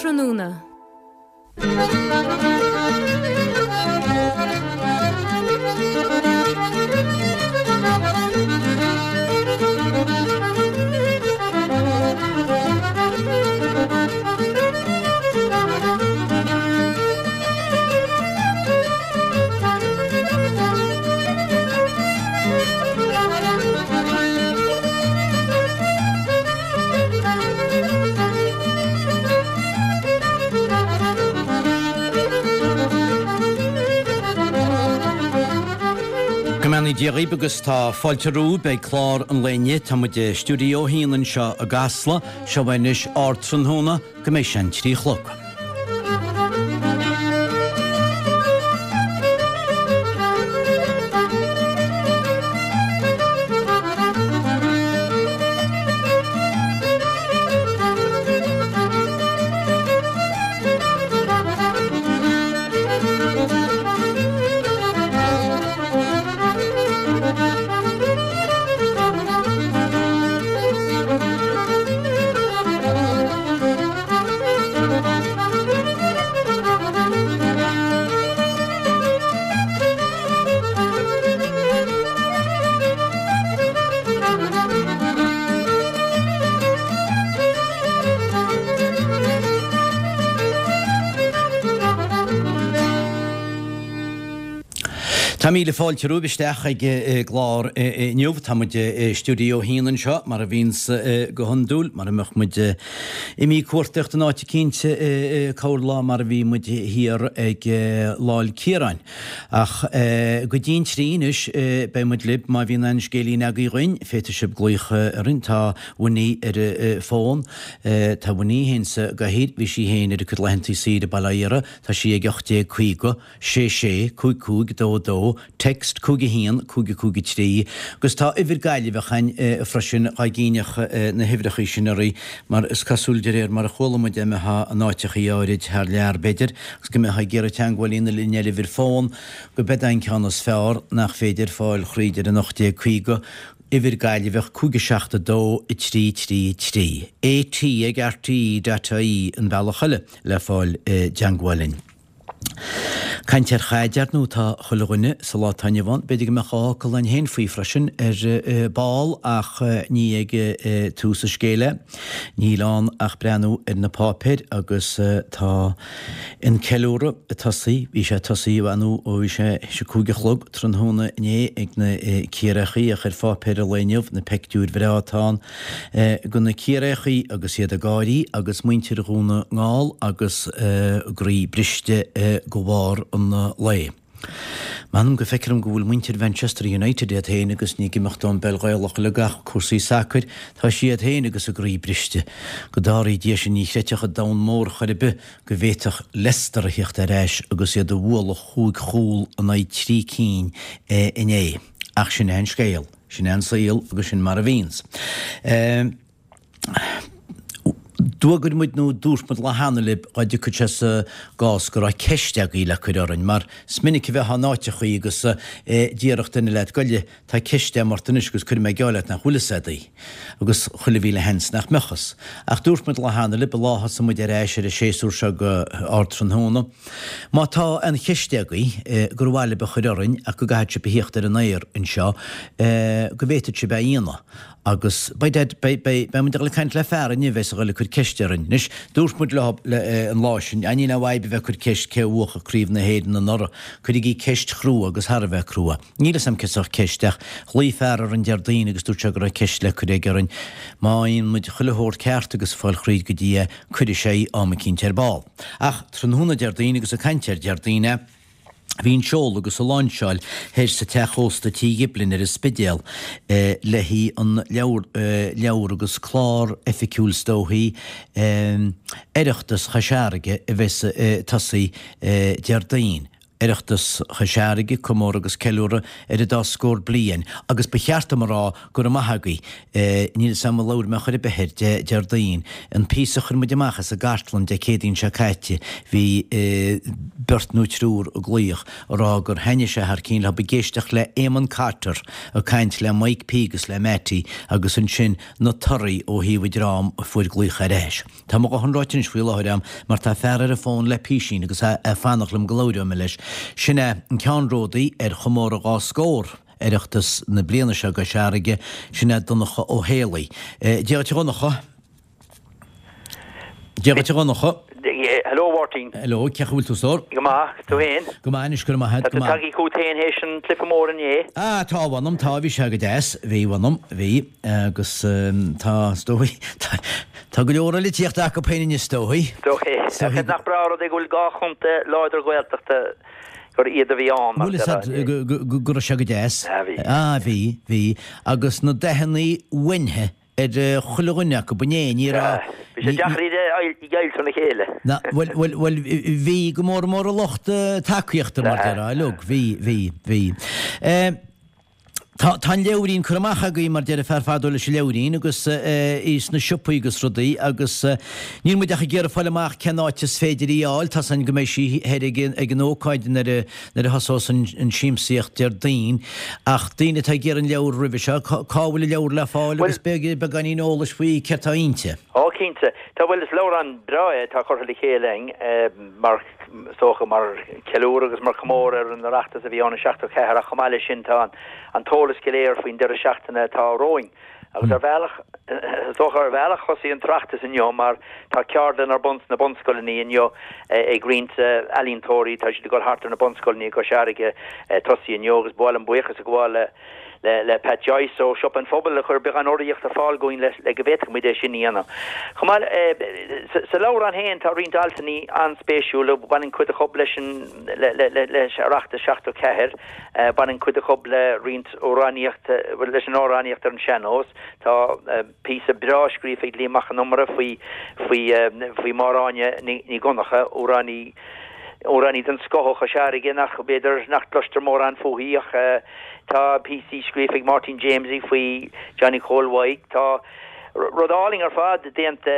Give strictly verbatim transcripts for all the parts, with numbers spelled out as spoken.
Ardtráthnóna. Go mbeannaí Dia dhaoibh agus tá fáilte romhaibh ag clár an lae inniu. Tá muid i stiúideo a haon anseo i gCasla. Seo anois Ardtráthnóna go mbeidh sé an trí a chlog. Tá míle fáilte romhaibh isteach ag an gclár inniu. Tá muid i stiúideo a haon anseo, mar a bhíonns go hiondúil, mar a mbeadh muid imithe cuartaíocht in áit eicínt corrlá mar a bhí muid thiar ag Lá'l Ciaráin. Ach go dtí an trí anois beidh muid libh. Má bhíonn aon scéilín agaibh dhuinn, féadfaidh sibh glaoch orainn. Tá Winnie ar an bhfón. Tá Winnie féin sa gcathaoir. Bhí sí féin ar a cuid laethantaí saoire i Baile Átha Iara. Tá sí ag ocht déag caoga, sé sé, cúig cúig, dó dó, text cúig a haon, cúig a cúig a trí, agus tá uimhir Gaillimheach a'inn freisin dhá gcinneadh na huimhreachaí sin oraibh mar is cosúil de réir mar a chuala muid dá mbeifeá in áiteachaí áirid thar lear b'fhéidir agus go mbeifeá ag iarraidh teangmháil a dhéanamh linn ar uimhir fón go b'ead an ceann is fearr nach féidir fáil thríd ar an ocht déag caoga uimhir Gaillimheach cúig a seacht a dó a trí trí trí. AT ag RTÉ dot IE an bealach eile le fáil i dteangmháil linn. Caint ar chaid, ar ndóigh, tá chuile dhuine sa lá atá inniu ann. B'fhéidir go mbeadh dhá fhocal againn féin faoi freisin ar ball ach ní ag tús an scéil é. Níl ann ach breathnú ar na páipéir agus tá an ceiliúradh ag tosaí, bhí sé ag tosaí ar ndóigh ó bhí sé théis a cúig a chlog tráthnóna inné ag na Ciarraíochaí ach ar pháipéir an lae inniu na peictiúir bhreá atá ann de na Ciarraíochaí agus iad ag gáirí agus muintir Dhún na nGall agus a gcroí briste de bharr an lae. M'anam go bhfeictear dom go bhfuil muintir Mhanchester United iad féin agus ní ag imeacht ón bpeil Ghaelach uilig ach cúrsaí sacair, tá siad féin agus a gcroí briste. Go dtarraí Dia sinn ní chreidfeadh an domhan mór chor ar bith go bhféadfadh Leicester a thíocht ar ais agus iad a bhualadh chúig chúl in aghaidh trí cinn inné. Ach sin é an scéal, sin é an saol agus sin mar a bhíonns. D'fhógair muid nó dúirt muid lá cheana libh dhá dtiocfadh sé sa gcás go raibh ceist agaibh le cur orainn, mar is minic a bheifeá in áiteachaí agus déarfadh duine leat, Goile, tá ceist agam ort anois agus cuirfidh mé geall leat nach bhfuil fhios a'd í. Agus chuile mhíle sheans nach mbeadh fhios. Ach dúirt muid lá cheana libh, an lá a thosaigh muid ar ais ar an séasúr seo go Ardtráthnóna, má tá aon cheist agaibh gur mhaith libh a chur orainn ach go gcaithfidh sibh a thíocht ar an aer anseo, go bhféadfadh sibh é a dhéanamh. Agus beidh Dad, beidh, beidh, beidh muid ag dul ag caint le fear inniu a bheas ag dul ag cur ceist orainn. Anois, dúirt muid leo le, an lá sin, ah níl aon fhadhb a bheith ag cur ceist cé a bhuafadh Craobh na hÉireann anuraidh, cuirigí ceist chrua agus thar a bheith crua. Níl fhios a'm cén sórt ceist ach ghlaoigh fear orainn Déardaoin agus dúirt sé go raibh ceist le cur aige orainn. Má fhaigheann muid chuile shórt ceart agus fáil thríd go dtí é, cuirfidh sé í am eicínt ar ball. Ach tráthnóna Déardaoin agus ag caint ar Déardaoin é, Bhí an seoladh agus an láinseáil thoir sa teach ósta Tigh Ghiblin ar an Spidéal le haghaidh an leabhar leabhar agus clár oifigiúil is dóichí Oireachtas Chois Fharraige a bheas ag tosaí Déardaoin. Oireachtas Chois Fharraige, comóradh agus ceiliúradh ar an dá scór bliain, agus ba cheart dom a rá go raibh maith agaibh, níl 'fhios a'm ar labhair mé chor ar bith air Déardaoin, an píosa a chuir muid amach as an gcartlann Dé Céadaoin seo caite, bhí beirt nó triúr ag glaoch a rá gur thaitnigh sé thar cinn leo ag éisteacht le Éamonn Cotter ag caint le Mike P agus le Mattie agus ansin na torthaí ó thaobh an dream a fuair glaoch ar ais. Tá mo dhóthain ráite anois faoi láthair a'm mar tá fear ar an bhfón le písín agus é ag fanacht liom go labhróidh mé leis. Sin é an ceannródaí ar chomóradh dhá scór Oireachtas na bliana seo i gCois Fharraige, sin é Donncha Ó Héalaí. Dia dhuit a Dhonncha. Dia dhuit a Dhonncha. Hello Mháirtín. Hello, cén chaoi a bhfuil tú a stór? Go maith, tú féin? Go maith anois, go raibh maith agat, go maith. Tá tú tagtha chugat féin théis an cluiche mór inné? Ah, tá, mh'anam, tá, bhí sé go deas, bhí, mh'anam, bhí, agus tá, is dóigh, tá go leor eile ag tíocht acu féin inniu, is dóigh. Is dóigh. Ach nach breá an rud é go bhfuil dhá chontae láidir Ghaeltachta gur iad a bhí ann, mar Bhfuil a fhios agat go raibh sé go deas? Ah, bhí. Ah, bhí, bhí. Agus na dathanna uainithe ar chuile dhuine acu, ba é, ní raibh. Bhí sé deacair iad a dheighilt óna chéile. Na, bhuel, bhuel, bhuel, bhí go mór mór a lucht tacaíochta, mar déarfá, uilig, bhí, bhí, bhí. Tá, tá an leabhairín curtha amach agaibh, mar deir fear fadó leis an leabhairín, agus í sna siopaí agus rudaí, agus níl muid ach ag iarraidh fáil amach cén áit is féidir í a fháil, tá's againn go mbeidh sí thoir ag an, ag an ócáid nuair a, nuair a thosós an, an siamsaíocht Déardaoin, ach daoine atá ag iarraidh an leabhar roimhe seo, cá, cá bhfuil an leabhar le fáil agus beag, beagáinín eolais faoi céard tá inti. Ó, cinnte. Tá, bhuel, is leabhrán breá é atá curtha le chéile againn, mar, is dócha, mar cheiliúradh agus mar chomóradh ar an Oireachtas a bhí ann i seachtó ceathair ach chomh maith leis sin tá an t-eolas go léir faoin deireadh seachtaine atá romhainn. Agus ar bhealach, is dócha ar bhealach thosaigh an tOireachtas inniu mar tá ceardlann ar bun sna bunscoileanna inniu ag roinnt ealaíontóirí, tá siad ag dul thart ar na bunscoileanna i gCois Fharraige tosaí inniu agus ba mhaith liom buíochas a ghabháil le le Pat Joyce ó Siopa an Phobail a chuir beagán urraíocht ar fáil dúinn le go bhféadfadh muid é sin a dhéanamh. Chomh maith, sa leabhrán féin tá roinnt altanna an-spéisiúla, baineann cuid acu leis an leis Oireachtas seachtó ceathair, baineann cuid acu le roinnt amhránaíocht, leis an amhránaíocht ar an sean-nós, tá píosa breá scríofa ag Liam Mac Con Iomaire faoi faoi faoi Mháire Áine Ní Dhonncha, amhránaí Amhránaí den scoth ó Chois Fharraige nach, b'fhéidir, nach gcloistear mórán fúithi ach tá píosaí scríofa ag Máirtín Jamesie faoi Johnny Chóil Mhaidhc. Tá rud álainn ar fad déanta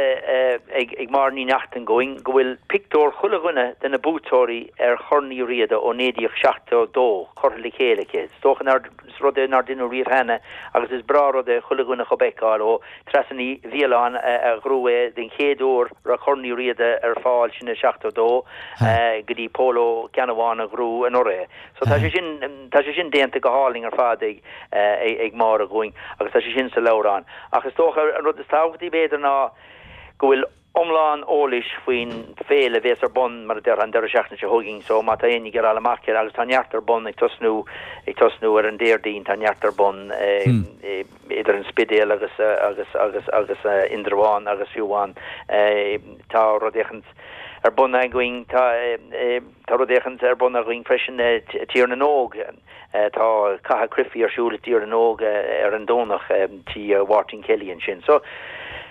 ag Máire Ní Neachtain dhúinn go bhfuil pictiúr chuile dhuine de na buaiteoirí ar Chorn Uí Riada ó naoi déag seachtó dó curtha le chéile aici. Is dócha nár, is rud é nár deineadh riamh cheana agus is breá rud é chuile dhuine chub fheiceáil ó Treasa Ní Mhiolláin a ghnóthaigh é den chéad uair raibh Corn Uí Riada ar fáil sin i seachtó dó go dtí Pól Ó Ceannabháin a ghnóthaigh anuraidh é. So tá sé sin tá sé sin déanta go hálainn ar fad ag ag Máire dhúinn agus tá sé sin sa leabhrán. Ach is dócha an rud is tábhachtaí b'fhéidir ná go bhfuil iomlán eolais faoin bhféile a bhéas ar bun, mar a déarfá, an deireadh seachtaine seo chugainn. So má tá éinne ag iarraidh fháil amach air, agus tá neart ar bun ag tosnú, ag tosnú ar an Déardaoin, tá neart ar bun idir an Spidéal agus, agus, agus, agus Indreabhán agus fiú amháin tá rud éicint ar bun againn, tá, tá rud éicint ar bun againn freisin i Tír na nÓg. Tá caitheamh cruifí ar siúl i dTír na nÓg ar an Domhnach, tí Mháirtín Kelly ansin. So,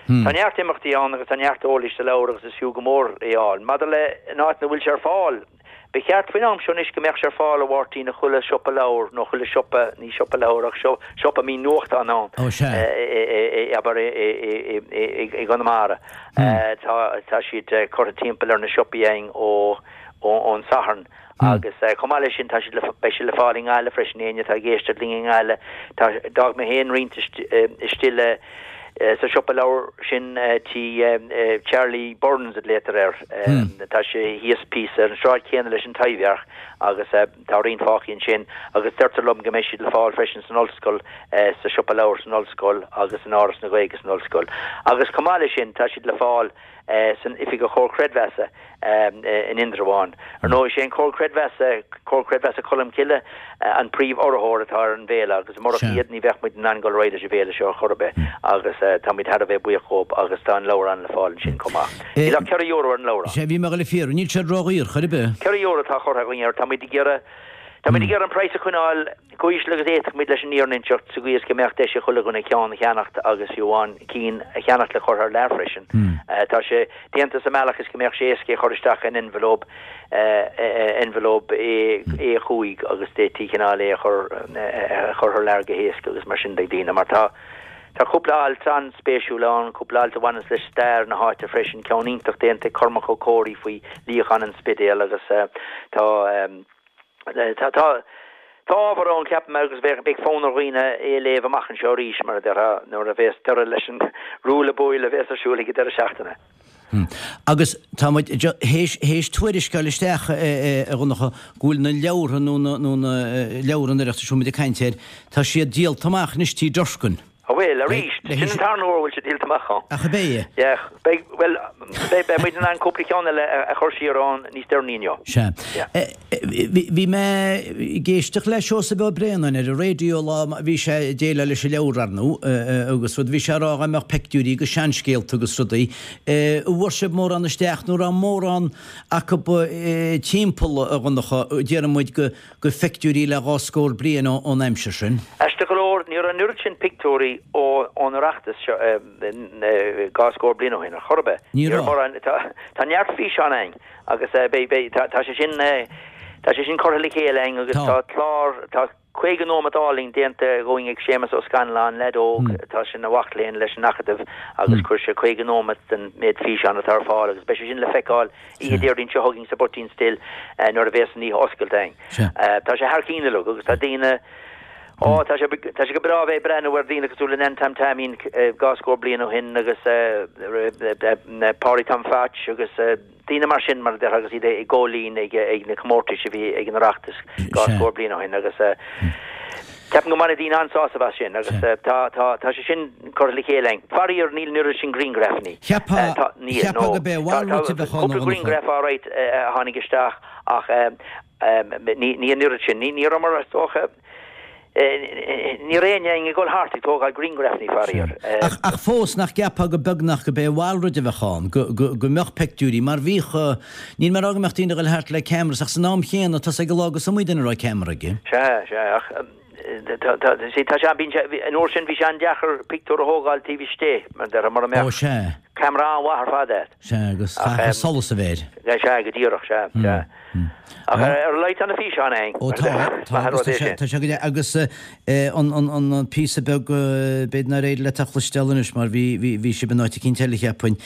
tá neart imeachtaí ann agus tá neart eolais sa leabhar agus is fiú go mór é a fháil. Maidir le an áit ina bhfuil sé ar fáil, ba cheart faoin am seo anois go mbeadh sé ar fáil, a Mháirtín, i chuile siopa leabhar nó chuile siopa, ní siopa leabhar ach siopa a mbíonn nuachtáin ann, abair, i gConamara. Tá siad curtha timpeall ar na siopaí againn ón Satharn. Agus chomh maith leis sin, tá siad le, beidh siad le fáil i nGaillimh freisin, éinne atá ag éisteacht linn i nGaillimh. Tá, d'fhág mé féin roinnt istigh le, sa siopa leabhar sin tí Charlie Burns a ghlaotar air. Tá sé thíos píosa ar an sráid chéanna leis an Taibhdhearc agus tá roinnt fágtha ansin agus deirtear liom go mbeidh siad le fáil freisin san ollscoil, sa siopa leabhar san ollscoil agus in Áras na Gaeilge san ollscoil. Agus chomh maith leis sin, tá siad le fáil san Oifig an Chomhar Creidmheasa in Indreabhán. Ar ndóigh, is é an Comhar Creidmheasa, Comhar Creidmheasa Cholmcille, an príomh-urraitheoir atá ar an bhféile agus murach iad ní bheadh muid in ann dul ar aghaidh leis an bhféile seo ar chor ar bith agus táimid thar a bheith buíoch dhóibh agus tá an leabhrán le fáil ansin chomh maith. Níl ach ceithre euro ar an leabhrán. Sea, bhí mé ag dul a fiafraí, níl sé ródhaor chor ar bith. Ceithre euro atá curtha againn air, táimid ag iarraidh, Tá muid ag iarraidh an praghas a choinneáil chomh híseal agus a fhéadfadh muid leis an fhírinne a inseacht sa gcaoi is go mbeadh deis ag chuile dhuine ceann a cheannacht agus fiú amháin cinn a cheannacht le cur thar lear freisin. Tá sé déanta sa mbealach is go mbeadh sé éasca é a chur isteach in envelope envelope A cúig agus d'fhéadfaí cineál é a chur a chur thar lear go héasca agus mar sin de ag daoine mar tá Tá cúpla alt an-spéisiúil ann, cúpla alt a bhaineanns le stair na háite freisin, ceann iontach déanta ag Cormac Ó Comhraí faoi luíochán an Spidéil agus tá tá tá tá ábhar ann ceapaim agus beidh beidh fonn ar dhaoine é a léamh amach anseo arís mar a déarfá nuair a bhéas deireadh leis an ruaille buaille a bhéas ar siúl ag an deireadh seachtaine. Agus tá muid théis théis tuairisc a fháil isteach, a Dhonncha, go bhfuil na leabhartha nó na nó na leabhra an Oireachtais a bhfuil muid ag caint air, tá siad díolta amach anois Tí Durkin. An bhfuil, arís, sin an tarna huair a bhfuil sé díolta amach ann. Ach ab é? Yeah, beidh, bhuel, beidh, beidh muid in ann cúpla ceann eile a chur siar ann níos deireanaí inniu. Sea. Bhí mé ag éisteacht le Seosamh Ó Braonáin ar an raidió lá, bhí sé ag déileáil leis an leabhar, ar ndóigh, agus rud, bhí sé ag rá dá mbeadh peictiúirí agus seanscéalta agus rudaí. An bhfuair sibh mórán isteach nó an raibh mórán acu timpeall, a Dhonncha, déarfaidh muid, go go phictiúirí le dhá scór bliain ón aimsir sin. Aisteach go leor, ní raibh an oiread sin pictiúirí ón Oireachtas seo dhá scór bliain ó shin, ar chor ar bith. Ní raibh. Mórán, tá neart físeán againn agus beidh, beidh, tá sé sin, tá sé sin curtha le chéile againn agus tá clár, tá caoga nóiméad álainn déanta dhúinn ag Séamus Ó Scanláin, leaid óg atá ina mhac léinn leis an Acadamh agus chuir sé caoga nóiméad den méid físeán atá ar fáil agus beidh sé sin le feiceáil oíche Déardaoin seo chugainn sa Poitín Stil nuair a bhéas an oíche oscailte againn. Tá sé thar cinn uilig agus tá daoine, ó tá sé, tá sé go breá a bheith ag breathnú ar dhaoine cosúil le Nan Tom Taimín dhá scór bliain ó shin agus Páidí Tom Phatch agus daoine mar sin, mar a déarfá, agus iad i gcóilín ag ag na comórtais a bhí ag an Oireachtas dhá scór bliain ó shin agus ceapaim go mbainfidh daoine an-sásamh as sin agus tá tá tá sé sin curtha le chéile againn. Faraor níl an oiread sin grianghrafanna. Cheapfá Tá níl cheapfá no go b'é tá mhalrait tá a bheadh ann cúpla a Dhonncha. grianghraf alright a tháinig isteach ach ní ní an oiread sin. Ní ní rabhamar is dócha Ní raibh éinne ag dul thart ag tógáil grianghrafanna, faraor. Ach, ach fós, nach gceapfá go beagnach go b'é a mhalrait a bheadh ann, go, go, go mbeadh peictiúirí, mar bhíodh, níl mé ag rá go mbeadh daoine ag dul thart le cameras, ach san am chéanna, tá 's ag an lá gur iomaí duine a raibh ceamara aige. Sea, sea, ach tá, tá, see, tá sé, bíonn sé, an uair sin bhí sé an-deacair pictiúr a thógáil taobh istigh, mar déarfá, mura Ó, mbeadh sea. ceamara an-mhaith ar fad agat. Sea, agus Ach, chaithfeadh solas a bheith air. Sea, go díreach, sea, sea. Ach ar a laghad tá na físeáin againn. Ó tá, tá, agus tá sé, tá sé go agus an, an, an, an píosa beag, b'fhéidir nár éirigh leat a chloisteáil anois mar bhí, bhí, bhí sibh in áit eicínt eile cheapfainn,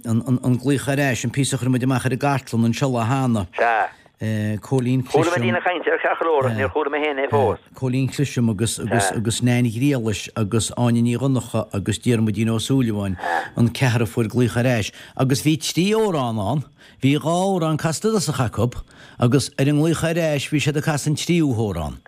an, an, an glaoch ar ais, an píosa a chuir muid amach ar an gcartlann anseo lá cheana. Sea. Cóilín Chuala mé Clisham. daoine ag caint air ceart go leor ach níor chuala mé féin é fós. Cóilín Clisham agus, agus, agus Nain Ghriallais agus Áine Ní Dhonncha agus Diarmuidín Ó Súilleabháin, an ceathrar a fuair glaoch ar ais. Agus bhí trí amhrán ann. Bhí dhá amhrán casta i dtosach acu agus ar an nglaoch ar ais bhí siad ag casadh an tríú hamhrán.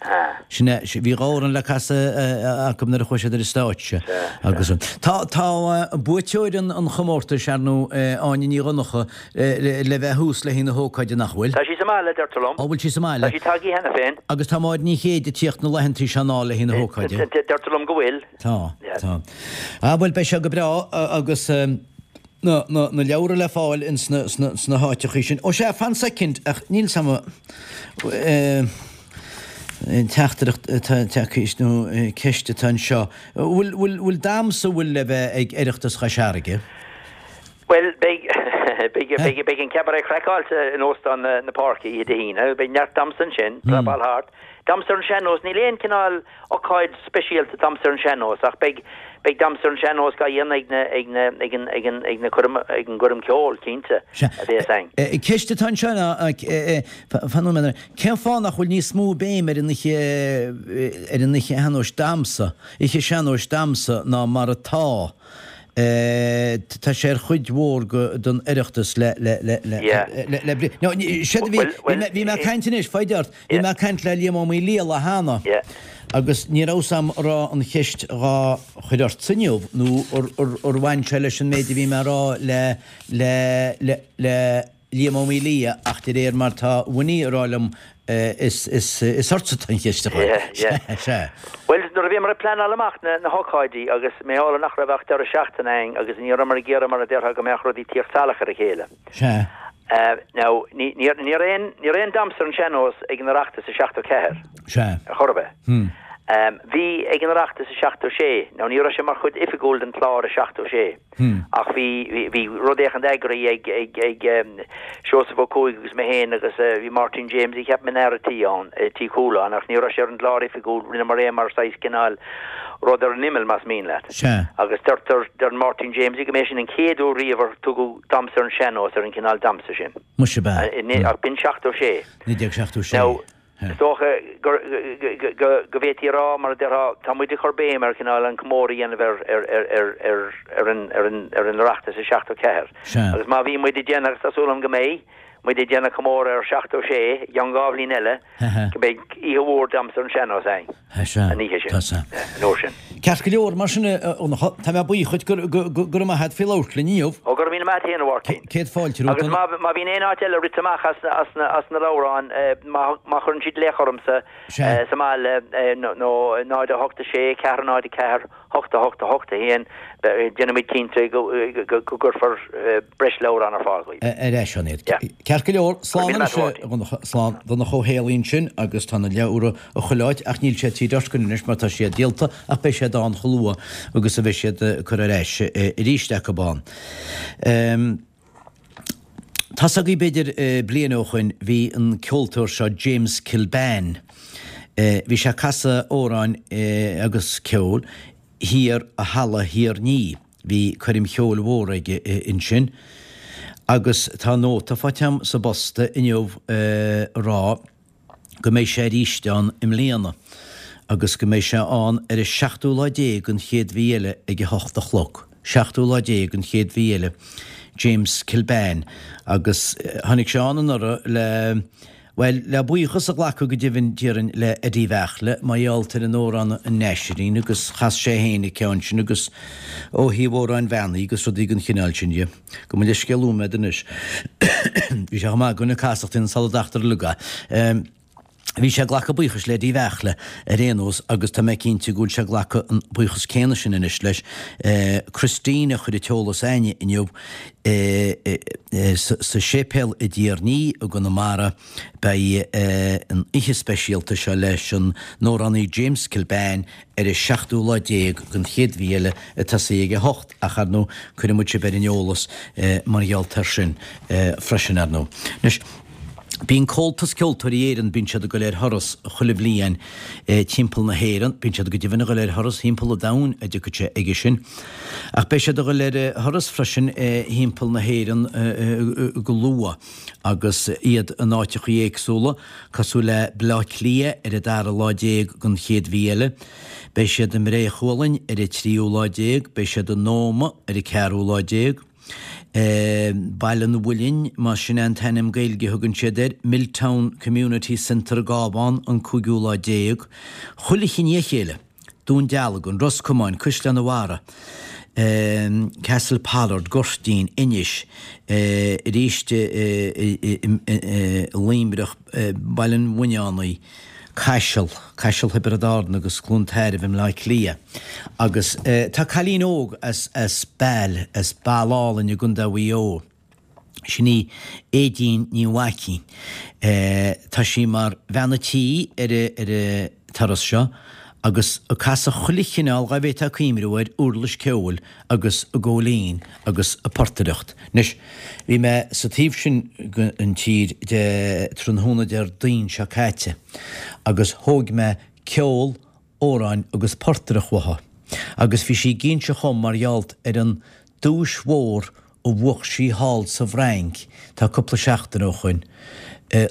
Sin é, bhí dhá amhrán le casadh acu nuair a chuaigh siad ar an stáitse. Agus tá, tá buaiteoir an, an chomórtais, ar ndóigh, Áine Ní Dhonncha, le bheith thuas le haghaidh na hócáide, nach bhfuil? Tá sí sa mbaile, deirtear liom. Ó, bhfuil sí sa mbaile? Tá sí tagtha cheana féin. Agus tá Máire Ní Chéide ag tíocht na laethantaí seo anall le haghaidh na hócáide. Deirtear liom go bhfuil. Tá, tá. Ah, bhuel, beidh sé go breá agus. na, na, na leabhra le fáil ins na, sna, sna háiteachaí sin. Ó sea, fan soicind, ach níl 's a'm eh, an teachtaireacht atá tagtha nó ceist atá anseo. Bhfuil, bhfuil, bhfuil damhsa bhfuil le bheith ag Oireachtas Chois Fharraige? Bhuel, beidh, beidh, beidh, beidh an Cabaret Craiceáilte in Óstán na, na Páirce oíche Dé hAoine. Beidh neart damhsa ansin, prapáil thart. Damhsa ar an sean-nós, níl aon cineál ócáid speisialta damhsa ar an sean-nós ach beidh beidh damhsa ar an sean-nós á dhéanamh ag na ag na ag an ag an ag na coirm ag an gcoirm ceoil, cinnte, Sea. a bhéas againn. Ceist atá anseo ná, fan nóiméad, cén fáth nach bhfuil níos mó béim ar an oíche ar an oíche shean-nóis damhsa, oíche sean-nóis damhsa ná mar atá? Tá sé ar chuid mhór den Oireachtas le le le le le le bri. No, séard a bhí bhí mé bhí mé ag caint anois, foighid ort, bhí mé ag caint le Liam Ó Maoildhia cheana agus ní raibh 's a'm an raibh an cheist dhá chur ortsa inniu nó ar ar ar bhain sé leis an méid a bhí mé a rá le le le le Liam Ó Maoildhia ach de réir mar tá Winnie a rá liom is is is ortsa atá an cheist a chur. Yeah, yeah. Sea. Bhuel, nuair a bhíomar ag pleanáil amach na na hócáidí agus mar gheall nach raibh ach deireadh seachtaine againn agus ní rabhamar ag iarraidh mar a déarfá go mbeadh rudaí ag tíocht salach ar a chéile. Sea. Now, ní ní aon ní aon damhsa ar an sean-nós ag an Oireachtas i seachtó ceathair. Sea. Ar chor ar bith. Hmm. Um, bhí ag an Oireachtas i seachtó sé, nó ní raibh sé mar chuid oifigiúil den chlár i seachtó sé. Hmm. Ach bhí bhí rud éigin eagraithe ag ag ag um, Seosamh Ó Cuaig agus mé féin agus uh, bhí Martin James i cheap mé tí an tí cúlán ach ní raibh sé ar an gclár oifigiúil rinne mar é mar saghas cineál rud ar an imeall más mian leat. Sea. Agus deirtear deir Martin James go mb'é sin an chéad uair riamh ar tugadh damhsa ar an sean-nós ar an cineál damhsa sin. Muise ba. Ach b'in seachtó sé. Naoi déag seachtó sé. Is dócha go bhféadfaí rá mar déarfá tá muid ag cur béim ar cineál an comóradh a dhéanamh ar ar ar ar ar ar an ar an ar an Oireachtas i seachtó ceathair. Agus má bhí muid ag déanamh agus tá súil agam go mbeidh muid ag déanamh comóradh ar seachtó sé i gceann dhá bhliain eile go mbeidh oíche mhór damhsa ar an sean-nós againn. An oíche sin. An uair sin. Ceart go leor mar sin tá mé buíoch go go raibh maith agat faoi labhairt linn inniu. Ó go raibh míle maith agat féin a Mháirtín. Céad fáilte Agus má má bhíonn aon áit eile rite amach as as na as na leabhráin má má chuireann siad glaoch ormsa sa mbaile nó náid a hocht sé ceathair náid ceathair hocht hocht hocht haon déanfaimid cinnte go go gcuirfear breis leabhrán ar fáil. Ar éis an iad. Ceart go leor slán slán Donncha Ó hÉalaí ansin agus tá na leabhra a chuileáit ach níl sé tí anois mar tá siad díolta ach beidh siad ann chomh luath agus a bheidh siad curtha ar ais arís acu ann. Um, Tá agaí b'fhéidir bliain ó shin bhí an ceoltóir seo James Kilbane. Bhí sé ag casadh amhráin agus ceol thiar i Halla Thír Ní. Bhí coirm cheoil mhór aige ansin. Agus tá nóta faighte agam sa bpost inniu rá go mbeidh sé arís ann i mbliana, agus go mbeidh sé ann ar an seachtú lá déag an chéad mhí eile ag a hocht a chlog. Seachtú lá déag an chéad mhí eile James Kilbane agus tháinig sé ann anuraidh le Well, le buíochas a ghlacadh go deimhin déarfainn le Eddie Bheartla mar gheall ar an amhrán an Naisrín agus chas sé féin an ceann sin agus ó thaobh amhráin bheannaithe agus rudaí den chineál sin dhe. Go mba leis scéal uaim anois. Bhí sé chomh maith go na casachtaí an saladachtar luga. Um, Bhí sé ag glacadh buíochas le Eddie Bheartla ar aon nós agus tá mé cinnte go bhfuil sé ag glacadh an buíochas céanna sin anois leis. Eh, Christine a chuir an t-eolas chugainne inniu eh, eh, sa séipéal i dTír Ní i gConamara beidh an oíche speisialta seo leis an amhránaí James Kilbane ar an seachtú lá déag den chéad mhí eile ag tosaí ag a hocht ach ar ndóigh cuirfidh muid sibh ar an eolas mar gheall air sin freisin ar ndóigh. Anois, Bíonn Comhaltas Ceoltóirí Éireann bíonn siad ag dul ar thuras chuile bhliain timpeall na hÉireann, bíonn siad go deimhin ag dul ar thuras timpeall an domhain a dtiocfaidh sé aige sin. Ach beidh siad ag dul ar thuras freisin timpeall na hÉireann go luath agus iad in áiteachaí éagsúla, cosúil le Baile Átha Cliath ar an dara lá déag den chéad mhí eile. Beidh siad i mBré Chualainn ar an tríú lá déag, beidh siad in Ómaigh ar an ceathrú lá déag. Baile an Mhuilinn, más sin an t-ainm Gaeilge a thugann siad air, Milltown Community Centre Gábán an cúigiú lá déag. Chuile chinn a chéile, Dún Dealgan, Ros Comáin, Caisleán an Bharraigh, Castlepollard, Gorteen, Inis, arís Luimneach, Baile an Bhuinneánaigh, Caiseal, Caiseal Thiobraid Árann agus Cluain Tairbh i mBleá Cliath. Agus tá cailín óg as as Bail, as Baile Álainn i gContae Mhaigh Eo. Sin í Aedín Ní Mhaicín. Tá sí mar bhean a' tí ar ar an turas seo agus ag casadh chuile chineál dhá bhféadfá cuimhniú air uirlis ceoil agus an góilín agus an portaireacht. Anois, bhí mé sa taobh sin den tír de tráthnóna Déardaoin seo caite agus thóg mé ceol, amhráin agus portaireacht uaithi agus bhí sí ag inse dhom mar gheall ar an duais mhór a bhuach sí thall sa bhFrainc tá cúpla seachtain ó shoin,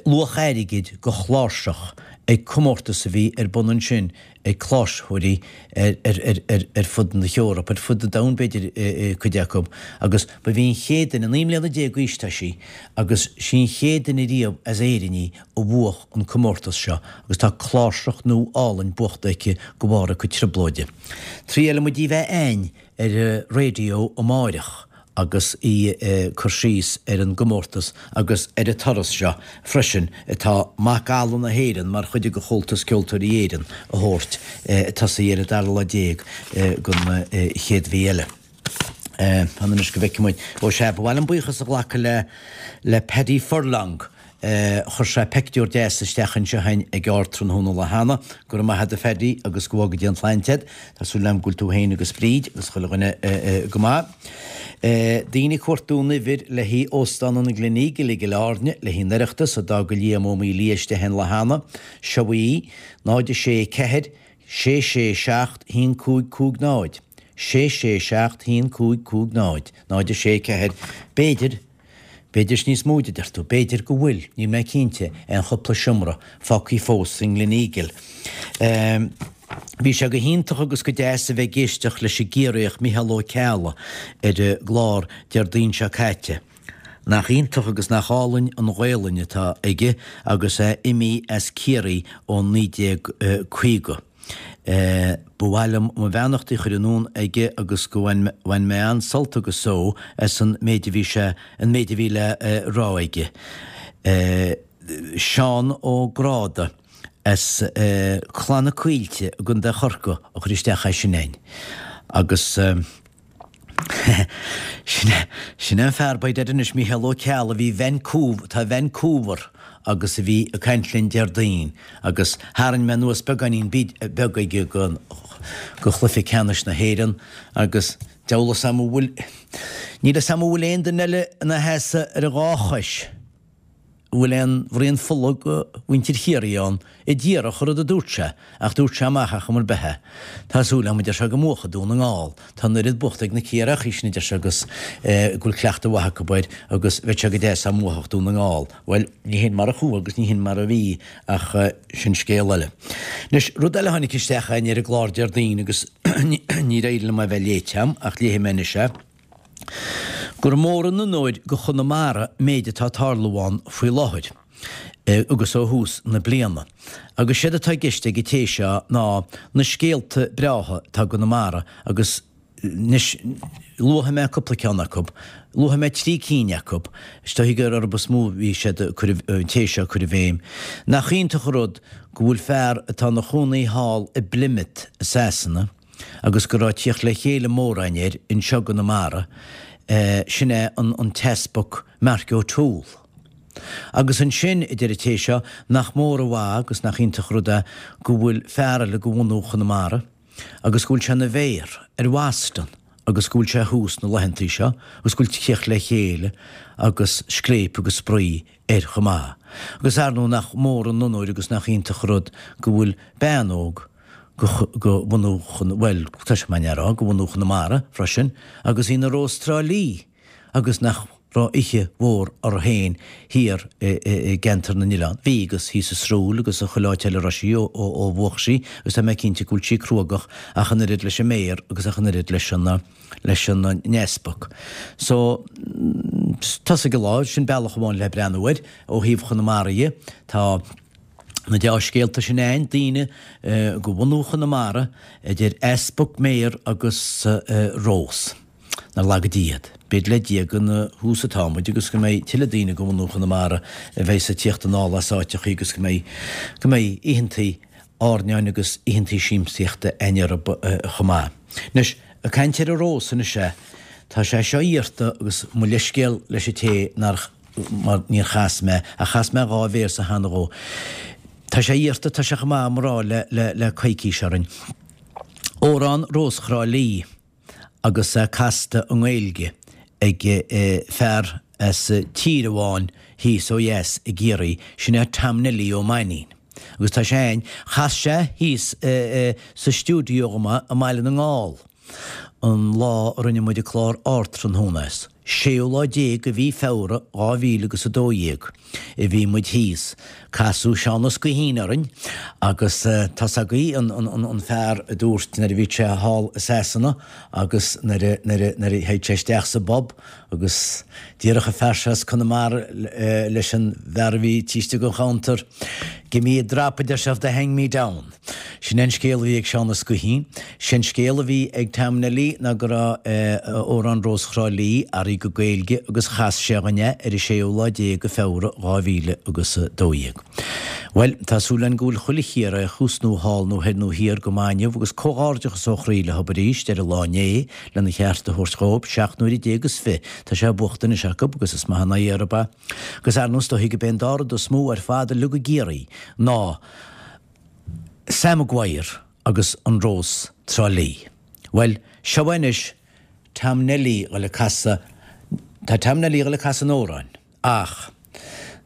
luach airgid go chláirseach ag comórtas a bhí ar bun ansin ag cláirseoirí ar fud na hEorpa, ar fud an domhain b'fhéidir cuid acu, agus ba bhí an chéad duine, naoi mbliana déag d'aois tá sí, agus sí an chéad duine riamh as Éirinn í a bhuach an comórtas seo agus tá cláirseach nua álainn buachta aici de bharr a cuid trioblóide. Triailfidh muid í bheith a'ainn ar an raidió amáireach. agus í ag cur síos ar an gcomórtas agus ar an turas seo freisin atá Macalla na hÉireann mar chuid de Chomhaltas Ceoltóirí Éireann a thabhairt ag tosaí ar an dara lá déag den chéad mhí eile. Fan anois go bhfeicfidh muid. Ó sea, ba mhaith liom buíochas a ghlacadh le le Paddy Furlong. Chuir sé peictiúr deas isteach anseo againn ag Ardtráthnóna lá cheana. Go raibh maith agat a Phaddy agus go bhfága Dia an tsláinte agat. Tá súil agam go bhfuil tú féin agus Bríd agus chuile dhuine go maith. Daoine ag cuartú an uimhir le haghaidh Óstán an Gleneagle i gCill Airne le haghaidh an Oireachtas a d'fhág Liam Ó Maolaodha istigh an lá cheana. Seo í, náid a sé ceathair, sé sé seacht haon cúig cúig náid. sé sé seacht haon cúig cúig náid náid a sé ceathair B'fhéidir, b'fhéidir is níos mó a deir tú, b'fhéidir go bhfuil, níl mé cinnte, aon chúpla seomra fágtha fós sa nGleneagle. Bhí sé go hiontach agus go deas a bheith ag éisteacht leis an gCiarraíoch Micheál Ó Ceallaigh ar an gclár Déardaoin seo caite. Nach iontach agus nach álainn an Ghaolainn atá aige agus é imithe as Ciarraí ó naoi déag caoga. Ba mhaith liom mo bheannachtaí a chur anonn aige agus go bhain bhain mé an-sult agus só as an méid a bhí sé an méid a bhí le rá aige. Seán Ó Gráda as Cladh na Coillte i gContae Chorcaí a chuir isteach é sin againn. Agus. Sin é, sin é an fear, by dad anois, Mícheál Ó Ceallaigh, a bhí i Vancouver, atá i Vancouver agus a bhí ag caint linn Déardaoin agus tharraing mé anuas beagáinín beag aige go, go chluiche ceannais na hÉireann agus deabhal fhios a'm an bhfuil, níl fhios a'm an bhfuil aon duine eile ina sheasamh ar a dhá chois. An bhfuil aon bhraon fola go mhuintir Chiarraí ann i díreach an rud a dúirt sé, ach dúirt sé amach ar chuma ar bith é. Tá súil agam, a deir sé, go mbuafaidh Dún na nGall. Tá an oiread buachta ag na Ciarraíochaí sin, a deir sé, agus go bhfuil cleachtadh mhaith acu air agus bheadh sé go deas dá mbuafadh Dún na nGall. Bhuel, ní hin mar a chuaigh agus ní hin mar a bhí ach sin scéal eile. Anois, rud eile a tháinig isteach againn ar an gclár Déardaoin agus níor éirigh liom é a bheith léite agam ach léifidh mé anois é. Gur mór an onóir go Chonamara méid atá ag tarlú ann faoi láthair agus ó thús na bliana. Agus séard atá i gceist ag an té seo ná na scéalta breátha atá i gConamara agus anois luafaidh mé cúpla ceann acu, luafaidh mé trí cinn acu, is dóigh gur orthu is mó a bhí siad ag cur, an té seo ag cur an bhéim. Nach iontach an rud go bhfuil fear atá ina chónaí thall i bPlymouth i Sasana, agus go raibh tíocht le chéile mór againn air anseo i gConamara, sin é an tEaspag Mark O'Toole. Agus ansin, a deir an té seo, nach mór an mhaith agus nach iontach an rud é go bhfuil fear eile de bhunú Chonamara agus go bhfuil sé ina mhéara ar Bhoston agus go bhfuil sé thuas na laethantaí seo agus go bhfuil tíocht le chéile agus scléip agus spraoi air chomh maith. Agus ar ndóigh nach mór an onóir agus nach iontach an rud go bhfuil bean óg go bhunú Chon, bhuel, tá sé maith a rá, go bhunú Chonamara freisin, agus í ina Rós Trá Lí, agus nach raibh oíche mhór uirthi féin thiar i gCeantar na nOileán. Bhí, agus thíos i Srúill agus i chuile áit eile a raibh sí ó bhuach sí, agus tá mé cinnte go bhfuil sí cruógach ach an oiread leis an méara agus ach an oiread leis an, leis an n-easpag. So, tosaigh an lá, sin bealach amháin le breathnú air ó thaobh Chonamara dhe. Tá. Na deá-scéalta sin againn, daoine go bhunú Chonamara, idir easpag, méara agus Rós. Nár laga Dia iad. B'fhéidir le Dia gur ina thús atá muid agus go mbeidh tuilleadh daoine go bhunú Chonamara a bheidh ag tíocht anall as áiteachaí agus go mbeidh go mbeidh oícheantaí airneáin agus oícheantaí siamsaíochta againn orthu chomh maith. Anois, ag caint ar an Rós anois, tá sé seo iarrta agus mo leithscéal leis an té nár mar níor chas mé, ach chas mé dhá véarsa cheana dhó. Tá sé iarrta, tá sé chomh maith agam a rá le, le, le coicís orainn. Amhrán Rós Thrá Lí agus é casta i nGaeilge ag fear as tír amháin thíos ó dheas i gCiarraí, sin é Tom Neilí Ó Mainnín. Agus tá sé a'inn, chas sé thíos sa stiúideo dhom i mBaile na nGall. An lá a rinne muid an clár Ardtráthnóna as, séú lá déag de mhí Feabhra dhá mhíle agus a dó dhéag, a bhí muid thíos. Casadh Seán Ó Scaoithín orainn agus tá's agaibh an an fear a dúirt nuair a bhí sé thall i Sasana agus nuair a nuair a nuair a théid sé isteach sa bpub agus déarfadh an fear seo as Conamara leis an bhfear a bhí taobh istigh den chuntar, Give me a drop, a deir sé, they hang me down. Sin é an scéal a bhí ag Seán Ó Scaoithín. Sin scéal a bhí ag Tom Neilí. Lí ná go raibh amhrán Rós Thrá Lí athraithe go Gaeilge agus chas sé dhúinn é ar an séú lá déag de Feabhra dhá mhíle agus a dó dhéag. Bhuel, tá súil againn go bhfuil chuile Chiarraíoch thuas nó thall nó thoir nó thiar go maith inniu agus comhghairdeachas ó chroí leo arís ar an lá inné lena cheart a thabhairt dhóibh, seacht n-uaire déag is fiche. Tá sé buachta anois acu agus is maith an aghaidh orthu é. Agus ar ndóigh is dóichí gurb é an dá rud is mó ar fad uilig i gCiarraí ná Sam Maguire agus an Rós Trá Lí. Bhuel, seo anois Tom Nelly ag casadh, tá Tom Nelly ag casadh an amhráin, ach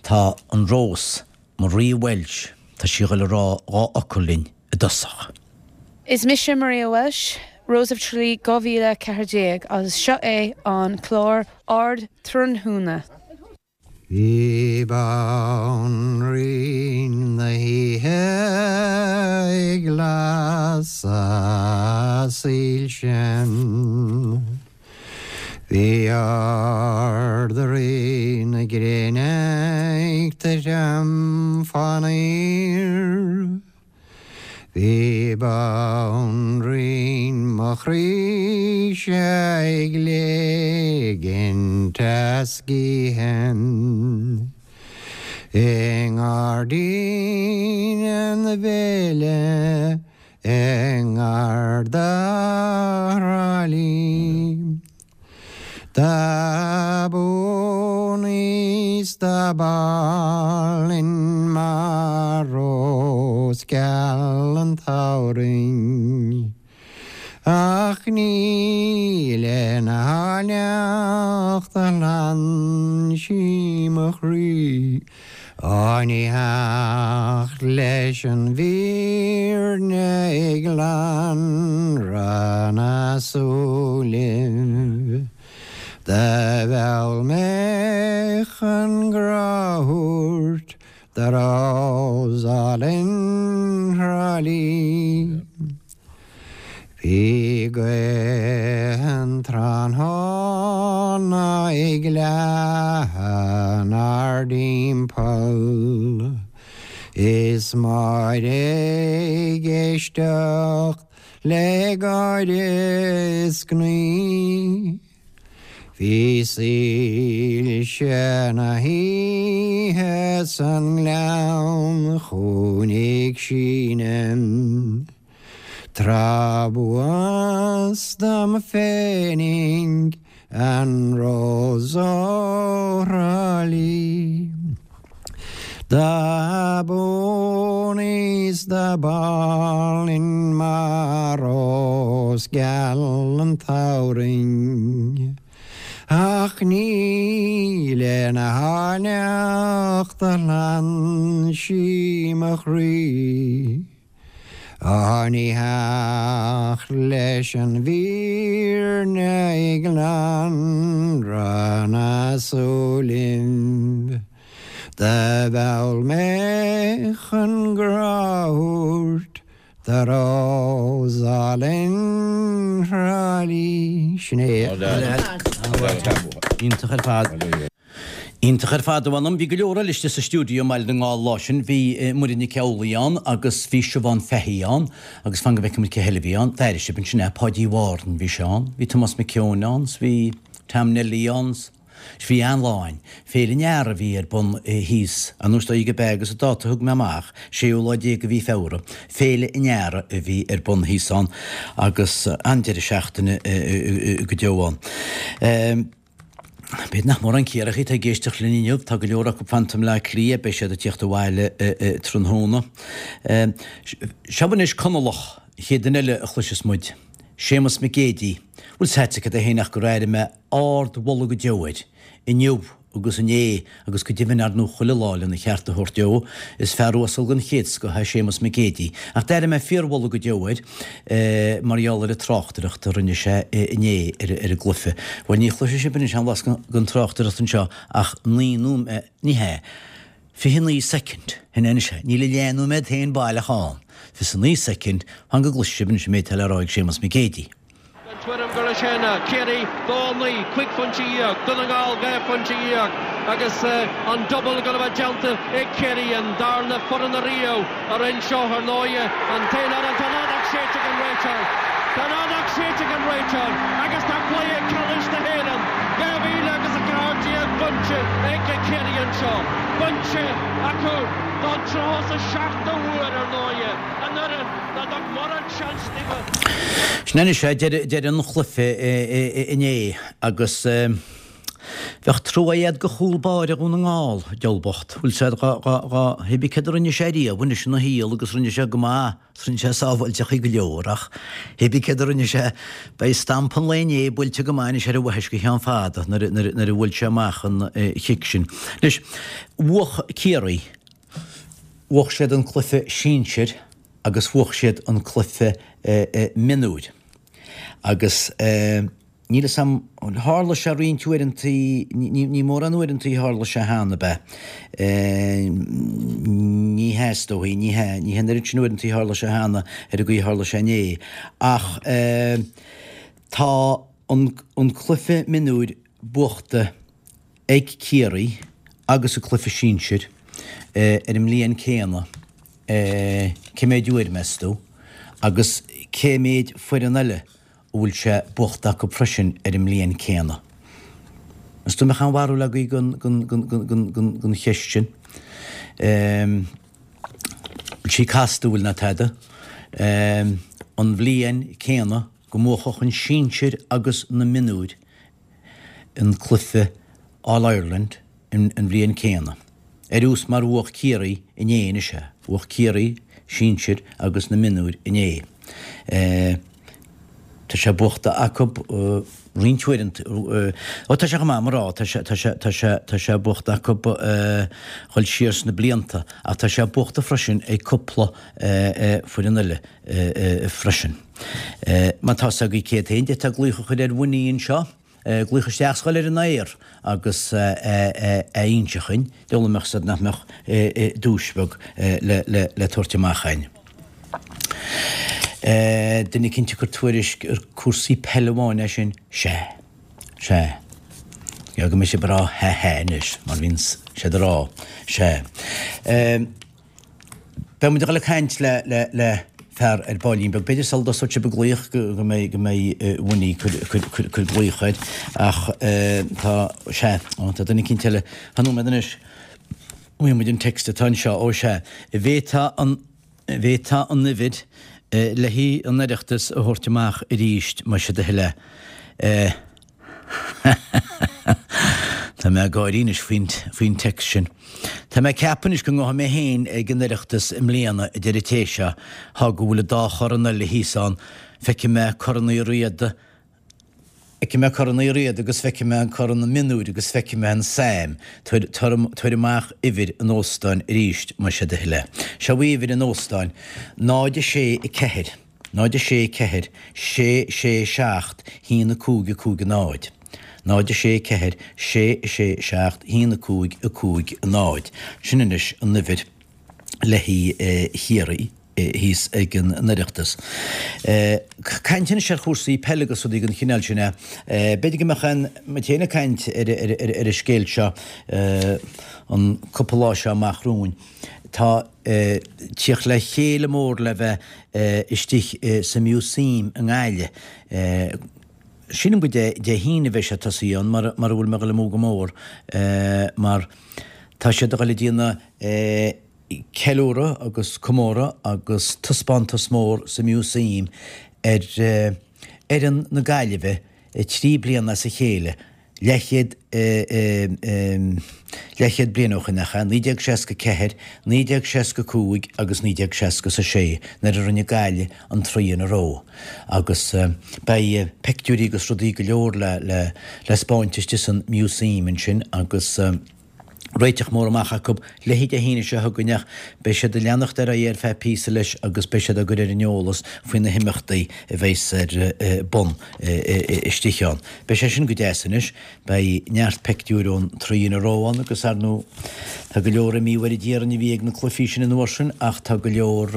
tá an Rós, Maria Walsh, tá sí ag rá dhá fhocal linn i dtosach. Is mise Maria Walsh, Rose of Tralee dhá mhíle ceathair déag agus seo é an clár Ardtráthnóna. Bhí banríon na hoíche ag lasadh soilse. Bhí Ard-Rí na gréine ag titim fán aer. Bhí banríon mo chroíse ag ligint a sciathan I ngairdín na bhféile i ngar do Thrá Lí. Dob aoibhinn is dob álainn mar rós geal an tsamhraidh. Ach ní lena háilleacht a ghlan sí mo chroí, Á ní theacht leis an bhfírinne i glanradh na súilibh. Do mheall mé chun grá a thabhairt do rós álainn Thrá Lí. Bhí gaoth an tráthnóna ag leathadh 'nár dtimpeall, Is Máire ag éisteacht le gáire is gnaoi. Bhí soilse na hoíche san ngleann chugainn ag síneadh. Tráth b'fhusa dom féinig an rós ó Thrá Lí. Dob aoibhinn is dob álainn mar rós geal an tsamhraidh. Ach ní lena háilleacht a ghlan sí mo chroí. Á ní theacht leis an bhfírinne i nglanradh na súilibh. Do mheall mé chun grá a thabhairt do rós álainn Thrá Lí. Sin é. Iontach ar fad. Iontach ar fad a mh'anam. Bhí go leor eile istigh sa stiúideo i mBaile na nGall lá sin. Bhí Muireann Nic Amhlaoibh ann agus bhí Siobhán Fahey ann agus fan go bhfeicfidh muid cé eile a bhí ann. D'airigh sibh ansin é, Páidí Warren bhí sé ann. Bhí Tomás Mac Eoin ann, bhí Tom Nelly ann. Bhí an-lá ann. Féile an Earraigh a bhí ar bun thíos, an uair go b'ea agus an dáta a thug mé amach, séú lá déag de mhí Feabhra, Féile an Earraigh a bhí ar bun thíos ann agus an-deireadh seachtaine go deo ann. B'fhéidir nach mórán Ciarraíoch atá ag éisteacht linn inniu, tá go leor acu fanta i mBleá Cliath, beidh siad ag tíocht abhaile tráthnóna. Seo anois Conallach, an chéad duine eile a chloisfeas muid, Séamus Mac Géidigh. Bhfuil 's agat cad é féin ach gur airigh mé ardmholadh go deo air inniu agus inné agus go deimhin ar ndóigh chuile lá lena cheart a thabhairt dó. Is fear uasal den chéad scoth é Séamus Mac Géidigh. Ach d'airigh mé fíormholadh go deo air mar gheall ar an tráchtaireacht a rinne sé inné ar an gcluiche. Bhuel ní chloisfidh sibh anois aon bhlas den tráchtaireacht anseo ach naoi nóiméad, ní hea, fiche naoi soicind, shin é anois é, níl a leathnóiméad féin baileach ann, fiche naoi soicind, fan go gcloisfidh sibh anois an méid atá le rá ag Séamus Mac Géidigh. Den tuairim gur leis sin Ciarraí dó naoi, cúig phointe dhéag, Dún na nGall dhá phointe dhéag agus an duball ag dul a bheith déanta ag Ciarraí, an darna foireann ariamh a rinne seo ar ndóigh, an t-aon fhoireann atá an fheadóg séidte ag an réiteoir. Tá an fheadóg séidte ag an réiteoir agus tá cluiche ceannais na hÉireann dhá mhíle agus a ceathair déag bainte ag Ciarraí anseo. Bainte acu don tríocha is a seachtú huair ar ndóigh, an fhoireann ná dtug mórán seans daofa. Sin anois é deireadh an chluiche inné agus bheadh trua agat do chúl báire Dhún na nGall, diabhal bocht. Bhfuil sé dhá dhá hibí céard a rinne sé riamh anois ina shaol agus rinne sé go maith, rinne sé sábháilteachaí go leor ach hibí céard a rinne sé beidh stampa an lae inné buailte go maith anois ar a bhaithis go ceann fada nuair nuair a bhuail sé amach an chic sin. Anois, bhuach Ciarraí, bhuach siad an cluiche sinsir agus bhuach siad an cluiche mionúir agus níl 'fhios a'm, tharla sé roinnt uaireantaí, ní mórán uaireantaí a tharla sé cheana, ab ea? Ní hea is dóigh, ní hea, ní hea an oiread sin uaireantaí a tharla sé cheana ar an gcaoi a tharla sé inné. Ach tá an cluiche mionúir buachta ag Ciarraí agus an cluiche sinsir ar an mbliain céanna, cé méid uair, meas tú? Agus cé méid foireann eile a bhfuil sé buachta acu freisin ar an mbliain céanna? Meas tú an mbeadh aon bharúil agaibh den cheist sin? Bhfuil sí casta, bhfuil ná tada? An bhliain céanna go mbuafadh an sinsir agus na mionúir an cluiche All Ireland an bhliain céanna. Ar nós mar bhuach Ciarraí inné anois é. Bhuach Ciarraí sinsir agus na mionúir inné. Tá sé buachta acu roinnt uaireanta. Ó tá sé chomh maith mar rá, tá sé, tá sé, tá sé, tá sé buachta acu dhul siar sna blianta ach tá sé buachta freisin ag cúpla foireann eile freisin. Má tá 's agaibh céard féin, d'fhéadfá glaoch a chur ar Winnie anseo. Glaoch isteach 's dhul ar an aer agus a inse chugainn, diabhal an mbeadh 's nach mbeadh duais bheag le tabhairt amach againn. Duine eicínt ag cur tuairisc ar cúrsaí peile amháin é sin? Sea. Sea. Go mbeidh sibh ag rá ha ha anois, mar bhíonn siad ag rá. Sea. Beidh muid ag dul ag caint le le le fear ar baillín beag. B'fhéidir sula dtosóidh sibh ag glaoch go go mbeidh go mbeidh Winnie cur cur cur cur glaoch air ach tá sea ó tá duine eicínt eile fan nóiméad anois. Bhfuil muid an text atá anseo ó sea. Bhféadfá an bhféadfá an uimhir le haghaidh an Oireachtas a thabhairt amach arís más é do thoil é. Tá mé ag gáirí anois faoin faoin text sin. Tá mé ag ceapadh anois go ngabhfaidh mé féin ag an Oireachtas i mbliana, a deir an té seo, thá go bhfuil an dá chorn eile thíos ann. Feicfidh mé Corn Uí Riada, feicfidh mé Corn Uí Riada agus feicfidh mé an Corn na Mionúir agus feicfidh mé an Sam. Tabhair tabhair amach uimhir an óstáin arís más é do thoil é. Seo í uimhir an óstáin, náid a sé a ceathair. náid a sé ceathair sé sé seacht haon a cúig a cúig a náid. náid a sé ceathair sé sé seacht haon a cúig a cúig a náid. Sin anois an uimhir le haghaidh Chiarraí thíos ag an Oireachtas. Caint anois ar chúrsaí peile agus rudaí den chineál sin. B'fhéidir go mbeadh aon muid féin ag caint ar ar an scéal seo an cúpla lá seo amach romhainn. Tá tíocht le chéile mór le bheith istigh sa Museum i nGaillimh. Sílim go Dé Dé hAoine a bheidh sé tosaithe ann mar mar a bhfuil mé ag dul amú go mór mar tá siad ag dul ag déanamh ceiliúradh agus comóradh agus taispeántas mór sa Museum ar fhoireann na Gaillimhe trí bliana as a chéile. Leathchéad leathchéad bliain ó shin, nach ea? naoi déag seasca ceathair, naoi déag seasca cúig agus naoi déag seasca a sé, nuair a rinne Gaillimh an three in a row. Agus beidh peictiúirí agus rudaí go leor le le le 'spáint istigh san Museum ansin agus. réiteach mór amach acu le haghaidh Dé hAoine seo chugainn ach beidh siad ag leanacht ar aghaidh ar feadh píosa leis agus beidh siad á gcur ar an eolas faoi na himeachtaí a bheas ar bun istigh ann. Beidh sé sin go deas anois. Beidh neart peictiúir ón three in a row ann agus ar ndóigh tá go leor imithe uair a déarfainn a bhí ag na cluichí sin an uair sin ach tá go leor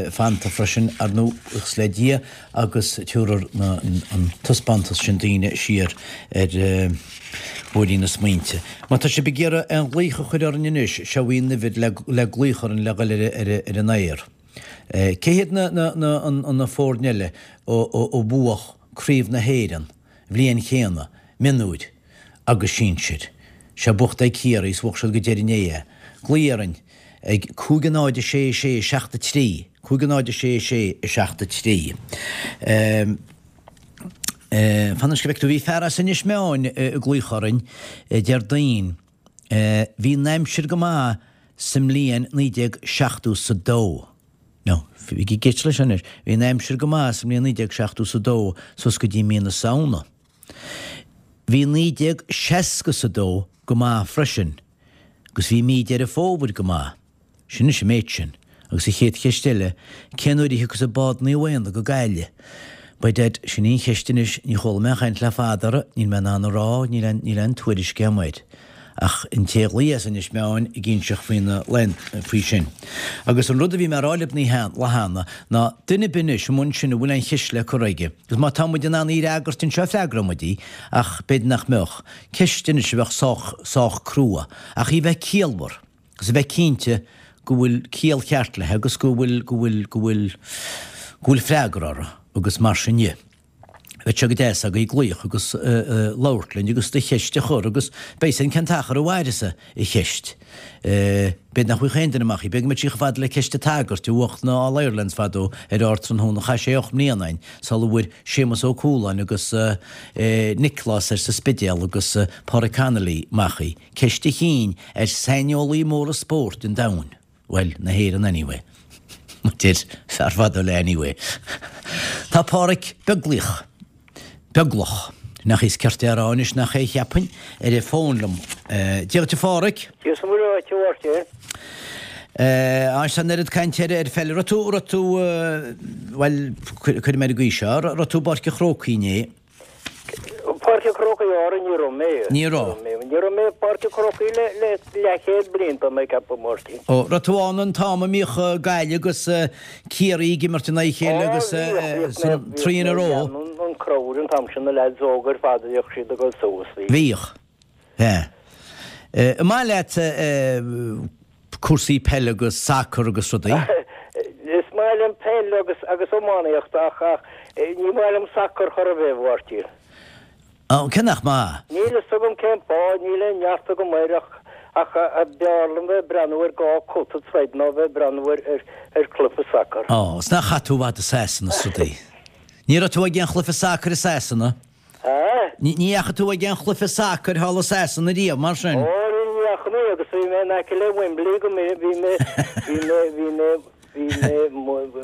fanta freisin ar ndóigh buíochas le Dia agus tabharfaidh an taispeántas sin daoine siar ar bhóithrín na smaointe. Má tá sibh ag iarraidh aon ghlaoch a chur orainn anois, seo í an uimhir le glaoch orainn le dhul ar an aer. Cé hiad na, na, na, an, na foirne eile a bhuaigh Craobh na hÉireann, bhliain chéanna, mionúir agus sinsir? Sé buachta ag Ciarraí is bhuaigh siad go deireadh inné é. Glaoigh orainn ag cúig a náid a sé a sé a seacht a trí, cúig a náid a sé a sé a seacht a trí. Fan anois go bhfeice tú, bhí fear as Inis Meáin ag glaoch orainn Déardaoin. Bhí an aimsir go maith sa mbliain naoi déag seachtó 's a dó. No, bhí geit leis anois. Bhí an aimsir go maith sa mbliain naoi déag seachtó 's a dó suas go dtí mí na Samhna. Bhí naoi déag seasca 's a dó go maith freisin agus bhí mí Deireadh Fómhair go maith. Sin anois an méid sin. Agus an chéad cheist eile, cén uair a thiocfas an bád Naomh Éanna go Gaillimh? By dad, sin í an cheist anois, ní chuala mé aon chaint le fada uirthi, níl mé in ann a rá, níl aon, níl aon tuairisc agam air. Ach an té a ghlaoigh as Inis Meáin ag inseacht faoina, faoi sin. Agus an rud a bhí mé a rá libh an oíche, lá cheana, ná duine ar bith anois amuigh ansin a bhfuil aon cheist le cur aige, agus má tá muid in ann í a fhreagairt anseo freagróidh muid í, ach b'fhéidir nach mbeadh, ceist anois a bheadh sách, sách crua, ach í bheith ciallmhar, agus a bheith cinnte go bhfuil ciall cheart léi agus go bhfuil, go bhfuil, go bhfuil, go bhfuil freagra uirthi agus mar sin dhe. Bheadh sé go deas agaibh glaoch agus labhairt linn agus do cheist a chur agus beidh fhios againn cén t-achar a mhairfeas an cheist. B'fhéidir nach bhfaigheadh aon duine amach í. B'fhéidir go mbeadh sí chomh fada le ceist an tsagairt a bhuach na All Irelands fadó ar Ardtráthnóna. Chaith sé ocht mbliana ann sula bhfuair Séamus Ó Cualáin agus Nioclás ar sa Spidéal agus Pádraig Connolly amach í. Ceist a chinn ar saineolaí móra spóirt an domhain. Bhuel, na hÉireann anyway. Mar a deir fear fadó le anyway. Tá Páraic Beaglaoich, Beaglach, nach é is ceart é a rá anois, nach é a cheapfainn, ar an bhfón liom. Dia dhuit a Pháraic. Dia 's Muire dhuit a Mháirtín. Anois tá an oiread cainte ar ar pheil. Raibh tú, raibh tú, bhuel, cuirfidh mé ar an gcaoi seo, raibh tú i bPáirc an Chrócaigh inné? Páirc an Chrócaigh Árainn ní raibh mé. Ní raibh. Ní raibh mé i bPáirc an Chrócaigh le le leathchéad bliain tá mé ag ceapadh, Máirtín. Ó, raibh tú ann an t-am a mbíodh Gaillimh agus Ciarraí ag imirt in aghaidh a chéile agus san three in a row? An crowd an t-am sin na leaids óga ar fad a bhíodh siad ag dul suas. Bhíodh. Ea. An maith leat cúrsaí peile agus sacar agus rudaí? Is maith liom peil agus agus iománaíocht ach ach ní maith liom sacar chor ar bith, a Mháirtín. Ó, cé nach maith? Níl fhios agam cén fáth, níl aon neart agam air ach ach b'fhearr liom bheith ag breathnú ar dhá cut ag troid ná bheith ag breathnú ar ar ar chluiche sacair. Ó, is nach chaith tú i bhfad i Sasana is rudaí? Ní raibh tú ag aon chluiche sacair i Sasana? Há? Ní dheachaigh tú ag aon chluiche sacair thall i Sasana riamh, mar sin? Ó, ní dheachaigh mé agus bhí mé in aice le Wembley go mé, bhí mé, bhí mé, bhí mé, bhí mé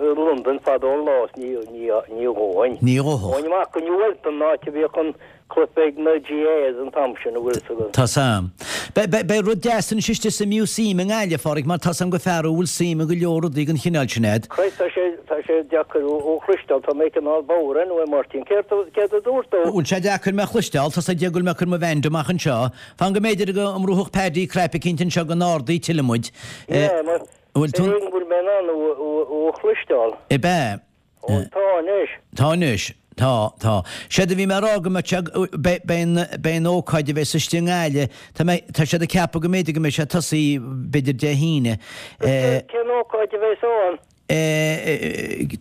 i Londain fadó an lá is ní, ní, ní ghabhfainn. Ní ghabhfadh. Ghabhfainn amach go New Eltham, an áit a bhíodh an cluiche ag na GAAs an t-am sin, an bhfuil fhios agat. Tá 's a'm. Beidh rud deas anois istigh sa Museum i nGaillimh, a Pháraic, mar tá 's a'm gur fear thú a bhfuil suim i go leor rudaí den chineál sin a'd. Christ, tá sé, tá sé deacair thú a chloisteáil, tá mé cineál bodhar anyway, Máirtín. Céard, céard a dúirt tú? Bhfuil sé deacair mé a chloisteáil, tá 's ag Dia go bhfuil mé ag cur mo bhand amach anseo. Fan go mb'fhéidir go mbrúfadh Paddy cnaipe eicínt anseo go n-ardófaí tuilleadh muid. Yeah, mar, Bhfuil tú. Ar éigean go bhfuil mé in ann thú a chloisteáil. Ab ea? Ó, tá anois. Tá anois. Tá, tá. Séard a bhí mé a rá go mbeadh sé, beidh, beidh an, beidh an ócáid a bheas istigh i nGaillimh, tá mé, tá siad ag ceapadh go mb'fhéidir go mbeidh sé ag tosaí b'fhéidir Dé hAoine. Cén, cén ócáid a bheas ann?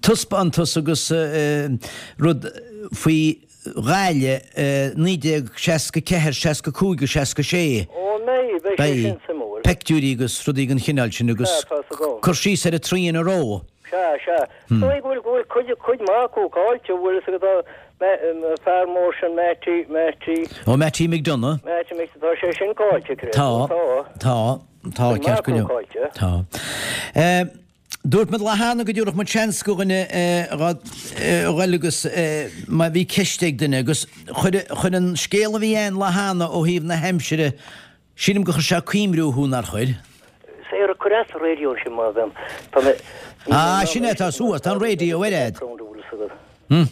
Taispeántas agus rud faoi Ghaillimh naoi déag seasca ceathair, seasca cúig agus seasca sé. Ó, an mbeidh? Beidh sé sin suimiúil. Peictiúirí agus rudaí den chineál sin agus Sea, tá's agam. cur síos ar an three in a row. Sea, sea. Is dóigh go bhfuil, go bhfuil cuid, cuid maith acu caillte, bhfuil fhios agat, tá fear mór sin Mattie, Mattie. Ó, Mattie McDonagh. Mattie Mc, tá sé sin caillte, creid. Tá, Tá. tá, tá, Cuid maith ceart go acu leor. caillte. Tá. Dúirt muid lá cheana go dtabharfadh muid seans go dhuine a ghoil agus má bhí ceist ag duine agus chuir chuir an scéal a bhí ann lá cheana ó thaobh na haimsire, sílim gur chuir sé coimriú thú, nár chuir? Saor, cuir as an raidió sin má bhean. Tá mé. Ah, sin é, tá suas, tá an raidió ar fhad. Hm.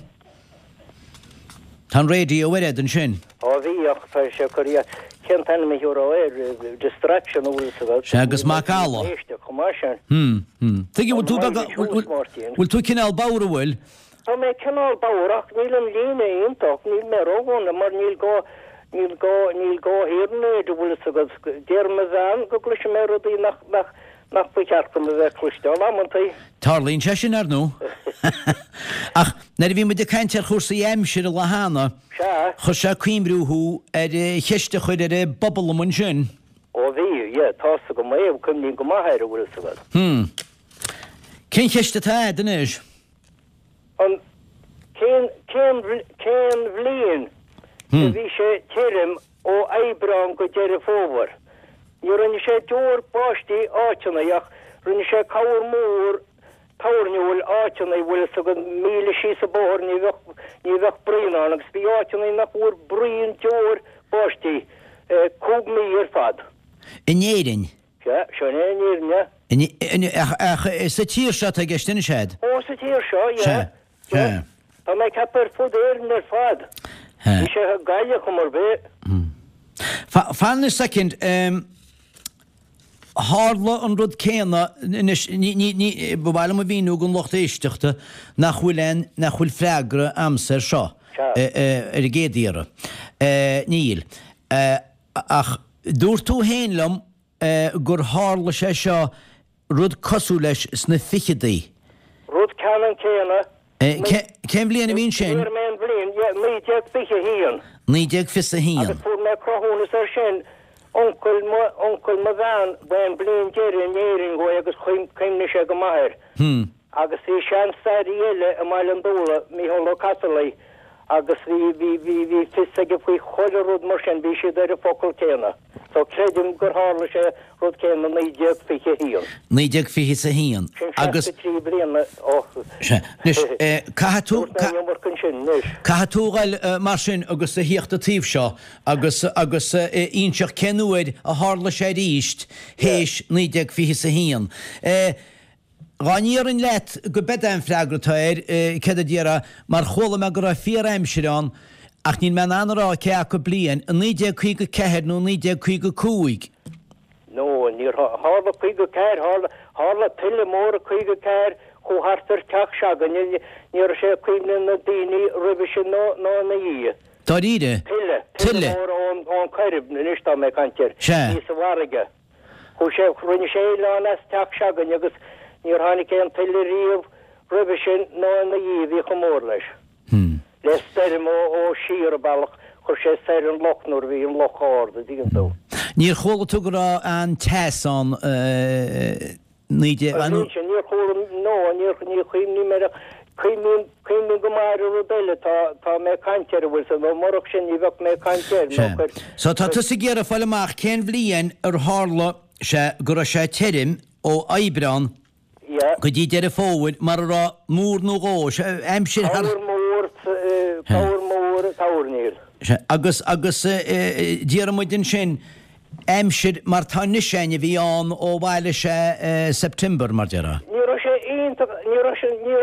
Tá an raidió ar fhad ansin. Á bhí, ach tá sé ag cur cén t-ainm a thiúrfá air, distraction an bhfuil fhios agat. Sea, agus macalla. Éisteacht chomh maith sin. Hm, hm. Tuige, bhfuil tú beag, bhfuil tú cineál bodhar, an bhfuil? Tá mé cineál bodhar ach níl an líne iontach, níl mé ródhona mar níl gá, níl gá, níl gá hearing aid an bhfuil fhios agat. Deir mo bhean go gcloisim mé rudaí nach, nach, nach ba cheart dom a bheith ag cloisteáil amantaí. Tarlaíonn sé sin, ar ndóigh. Ach nuair a bhí muid ag caint ar chúrsaí aimsire lá cheana, Sea. chuir sé ag cuimhniú thú ar cheist a chuir ar an bpobal liom ansin. Ó bhí, yeah, tá's agam é, cuimhním go maith air, a bhfuil fhios agat. Hmm. Cén cheist atá agat anois? An, cén, cén, cén bhliain a bhí sé tirim ó Aibreán go Deireadh Fómhair? Ní rinne sé deoir báistí áiteanna ach rinne sé corr mór toirniúil áiteanna, bhfuil fhios agat, míle síos an bóthar ní bheadh, ní bheadh braon ann agus bhí áiteanna nach bhfuair braon deoir báistí cúig mí ar fad. In Éirinn? Sea, sin é in Éirinn, yeah. In, in, ach, ach sa tír seo atá i gceist anois a'd? Ó, sa tír seo, yeah. Sea, sea. Tá mé ag ceapadh ar fud Éireann ar fad. Bhí sé Gaillimh chuma ar bith. Fan anois soicind, tharla an rud céanna anois, ní, ní, ní, ba mhaith liom a mhíniú don lucht éisteachta nach bhfuil aon, nach bhfuil freagra a'msa air seo ar an gcéad iarraidh. Níl. Ach dúirt tú féin liom gur tharla sé seo, rud cosúil leis sna ficheadaí. Rud ceannann céanna. Cén bhliain a bhí ansin? Fuair mé an bhliain, yeah, naoi déag fiche a haon. Naoi déag fiche a haon. Agus fuair mé cruthúnas air sin, uncail mo, uncail mo bhean, ba é an bliain deiridh in Éirinn dhó é agus chuimhnigh sé go maith air. Agus bhí sean-staraí eile i mBaile an Dúlaigh, Mícheál Ó Casarlaigh, agus bhí, bhí, bhí, bhí fios aige faoi chuile rud mar sin, bhí siad ar an focal céanna. So creidim gur tharla sé rud céanna naoi déag fiche a haon. Naoi déag fiche is a haon. Sin seasca trí bliana ó. Sea. Anois, caithfidh tú. Dúirt mé an iomarca ansin anois. Caithfidh tú a ghoil mar sin agus a thíocht an taobh seo agus, agus inseacht cén uair a tharla sé arís théis naoi déag fiche is a haon. Dhá ndéarfainn leat go b'ead é an freagra atá air, céard a déarfá, mar chuala mé go raibh fíor-aimsir ann, ach níl mé in ann a rá cé acu bliain, i naoi déag caoga ceathair nó naoi déag caoga cúig. No, níor tharla caoga ceathair, tharla, tharla tuile mór i caoga ceathair, chuaigh thart ar teach se'againne, ní raibh sé i cuimhne na daoine roimhe sin ná, ná ina dhiaidh. Dáiríre? Tuile, tuile mór ón, ón Coirib, anois tá mé ag caint air, Sea. bhí sa bhfarraige. Chuaigh sé, rinne sé oileán as teach se'againne agus níor tháinig aon tuile riamh roimhe sin ná ina dhiaidh, bhí chomh mór leis. Le stoirm ó, ó siar an bealach, chuir sé soir an loch nuair a bhí an loch ard, a dtuigeann tú. Níor chuala tú go raibh an-teas ann naoi déag, An bhliain sin, níor chuala, no, níor, ní chuimhním air ach cuimhním, cuimhním go maith ar an rud eile, tá, tá mé ag caint air, an bhfuil 's a'd, nó murach sin ní bheadh mé ag caint air, nó Sea. cuir, So tá tusa ag iarraidh fáil amach cén bhliain ar tharla sé go raibh sé tirim ó Aibreán Yeah. go dtí Deireadh Fómhair mar a raibh múr nó dhó, sé, aimsir thar. Corr mór, corr mór toirníl. Sea, agus, agus d'iarr muid ansin aimsir mar tá anois againn a bhí ann ó bhailigh sé September, mar déarfá. Ní raibh sé iontach, ní raibh sé, ní,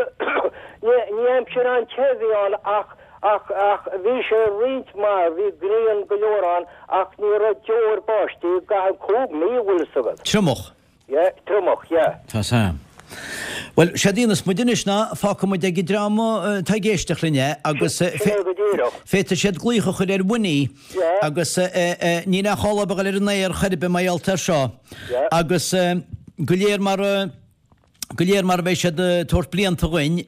ní, ní aimsir an-te a bhí ann ach, ach, ach bhí sé roinnt mhaith, bhí grian go leor ann ach ní raibh deoir báistí i gcaitheamh cúig mí, an bhfuil 'fhios agat. Triomach. Yeah, triomach, yeah. Tá 's a'm. Bhuel, séard a dhéanfas muid anois ná fágfaidh muid ag an dream atá ag éisteacht linn é agus féadfaidh siad glaoch a chur ar Winnie agus níl aon chall dóibh a dhul ar an aer chor ar bith mar gheall air seo agus go léir mar go léir mar a bheidh siad ag tabhairt blianta dhuinn.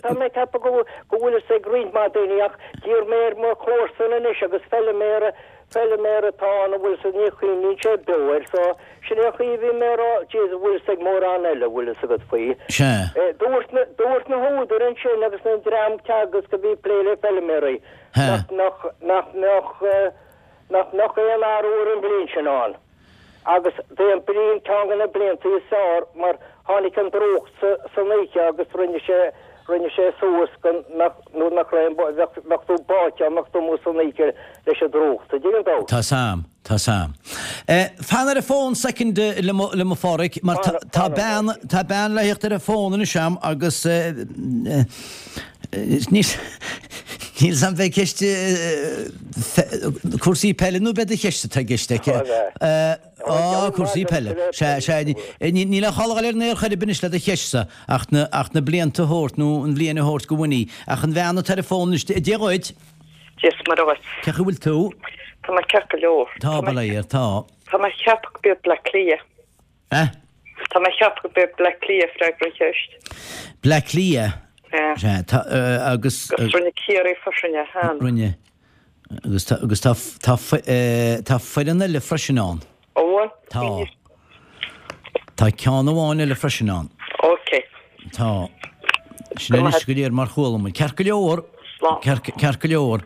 Tá mé ag ceapadh go bhfuil fhios ag roinnt mhaith daoine ach d'iarr mé ar mo chomharsan anois agus feiliméara feiliméara atá ann an bhfuil 'fhios agat ní chuimhníonn sé beo air so sin é an chaoi a bhí mé a rá jeez an bhfuil fhios ag mórán eile an bhfuil fhios agat faoi. Sea. Dúirt na dúirt na húdair ansin agus na dream Teagasc a bhí ag plé le feiliméaraí nach nach nach mbeadh nach mbeadh aon athrú ar an bhliain sin ann. Agus b'é an bliain ceann de na blianta is fearr mar tháinig an drúcht sa san oíche agus rinne sé rinne sé suas go nach nuair nach raibh aon bheadh bheadh tú báite dá mbeadh tú amuigh san oíche leis an drúcht. An dtuigeann tú? Tá 's a'm, tá 's a'm. Eh, fan ar an bhfón soicind liom liom a Pháraic mar tá tá bean tá bean le theacht ar an bhfón anois a'm agus eh eh níl níl 's a'm bheidh ceist cúrsaí peile nó beidh do cheist atá i gceist aici. Á, cúrsaí peile. Sea, sea, níl aon chall a dhul ar an aer chor ar bith anois le do cheist-sa ach na, ach na blianta a thabhairt nó an bhliain a thabhairt go Winnie. Ach an bhean atá ar an bhfón anois, Dia dhuit. Dia is Muire dhuit. Cén chaoi a bhfuil tú? Tá mé ceart go leor. Tá, bail ó Dhia ort, tá. Tá mé ag ceapadh go b'iad Bleá Cliath. Eh? Tá mé ag ceapadh gurb é Bleá Cliath freagra an cheist. Bleá Cliath? Yeah. Sea, tá, eh, agus... Agus rinne Ciarraí freisin é, cheana. Rinne. Agus tá, agus tá, tá, eh, tá foireann eile freisin ann. Ó, bhfuil? Tá. Tá ceann amháin eile freisin ann. Ok. Tá. Sin anois go léir mar chuala muid. Ceart go leor. Slán. Ceart, ceart go leor.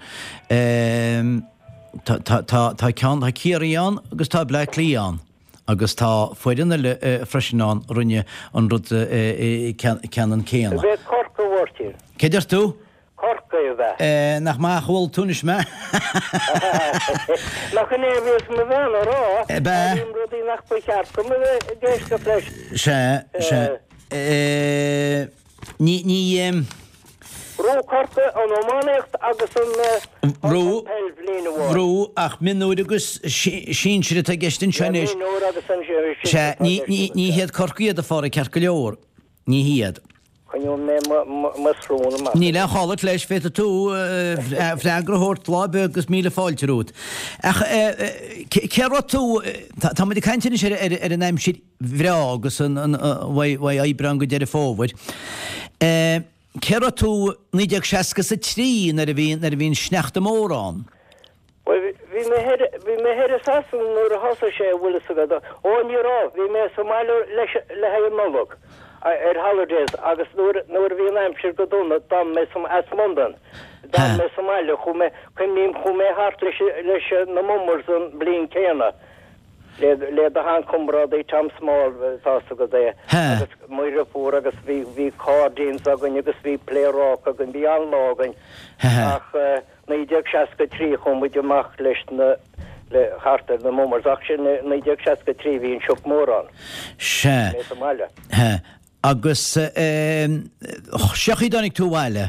Ehm, tá, tá, tá, tá ceann, tá Ciarraí ann agus tá Bleá Cliath ann. Agus tá foireann eile eh, freisin ann a rinne an rud eh, eh, ceannann céanna. Ab é Corcaigh a Mháirtín. Cé deir tú? Corcaigh ab ea? Eh, nach maith a chuala tú anois mé? Nach in é a bhíos mo bhean a rá? Ab ea? Airím rudaí nach ba cheart dom a bheith ag éisteacht leis. Sea, sea. Eh, ní, ní, em, Bhuaigh Corcaigh an iománaíocht agus an Bhuaigh. peil bhliain amháin. Bhuaigh ach mionúir agus sinsir atá i gceist anseo anois. Mionúir agus an sinsir Sea, atá i ní, gceist ní, ní hiad Corcaigh iad a Phádraig ceart go leor. Ní hiad. Coinneoidh mé mo shrón amach. Níl aon chall leis, féadfaidh tú freagra a thabhairt lá ar bith agus míle fáilte romhat. Ach cé raibh tú, tá muid ag caint anois ar, ar, ar an aimsir bhreá agus an, an, ó Aibreán go Deireadh Fómhair. Cé raibh tú naoi déag seasca is a trí nuair a bhí, nuair a bhí an sneachta mór ann? Bhuel, bhí mé thoir, bhí mé thoir i Sasana nuair a thosaigh sé, an bhfuil fhios agat. Ó, ní raibh, bhí mé sa mbaile leis, le haghaidh an Nollag, ar holidays agus nuair, nuair a bhí an aimsir go dona, d'fhan mé sa, as Londain, d'fhan mé sa mbaile, chuaigh mé, cuimhním, chuaigh mé thart leis, leis na Mummers an bhliain céanna, le, le do sheanchomrádaí Tom Small, tá fhios agat é, agus mo dheirfiúr agus bhí, bhí cairdíns againn agus bhí pléaráca againn, bhí an-lá againn. Ach naoi déag seasca trí chuaigh muid amach leis na, le, thart ar na Mummers, ach sin naoi déag seasca trí bhí an sioc mór ann. Sea. Mé sa mbaile. He. Agus cén chaoi a dtáinig tú abhaile?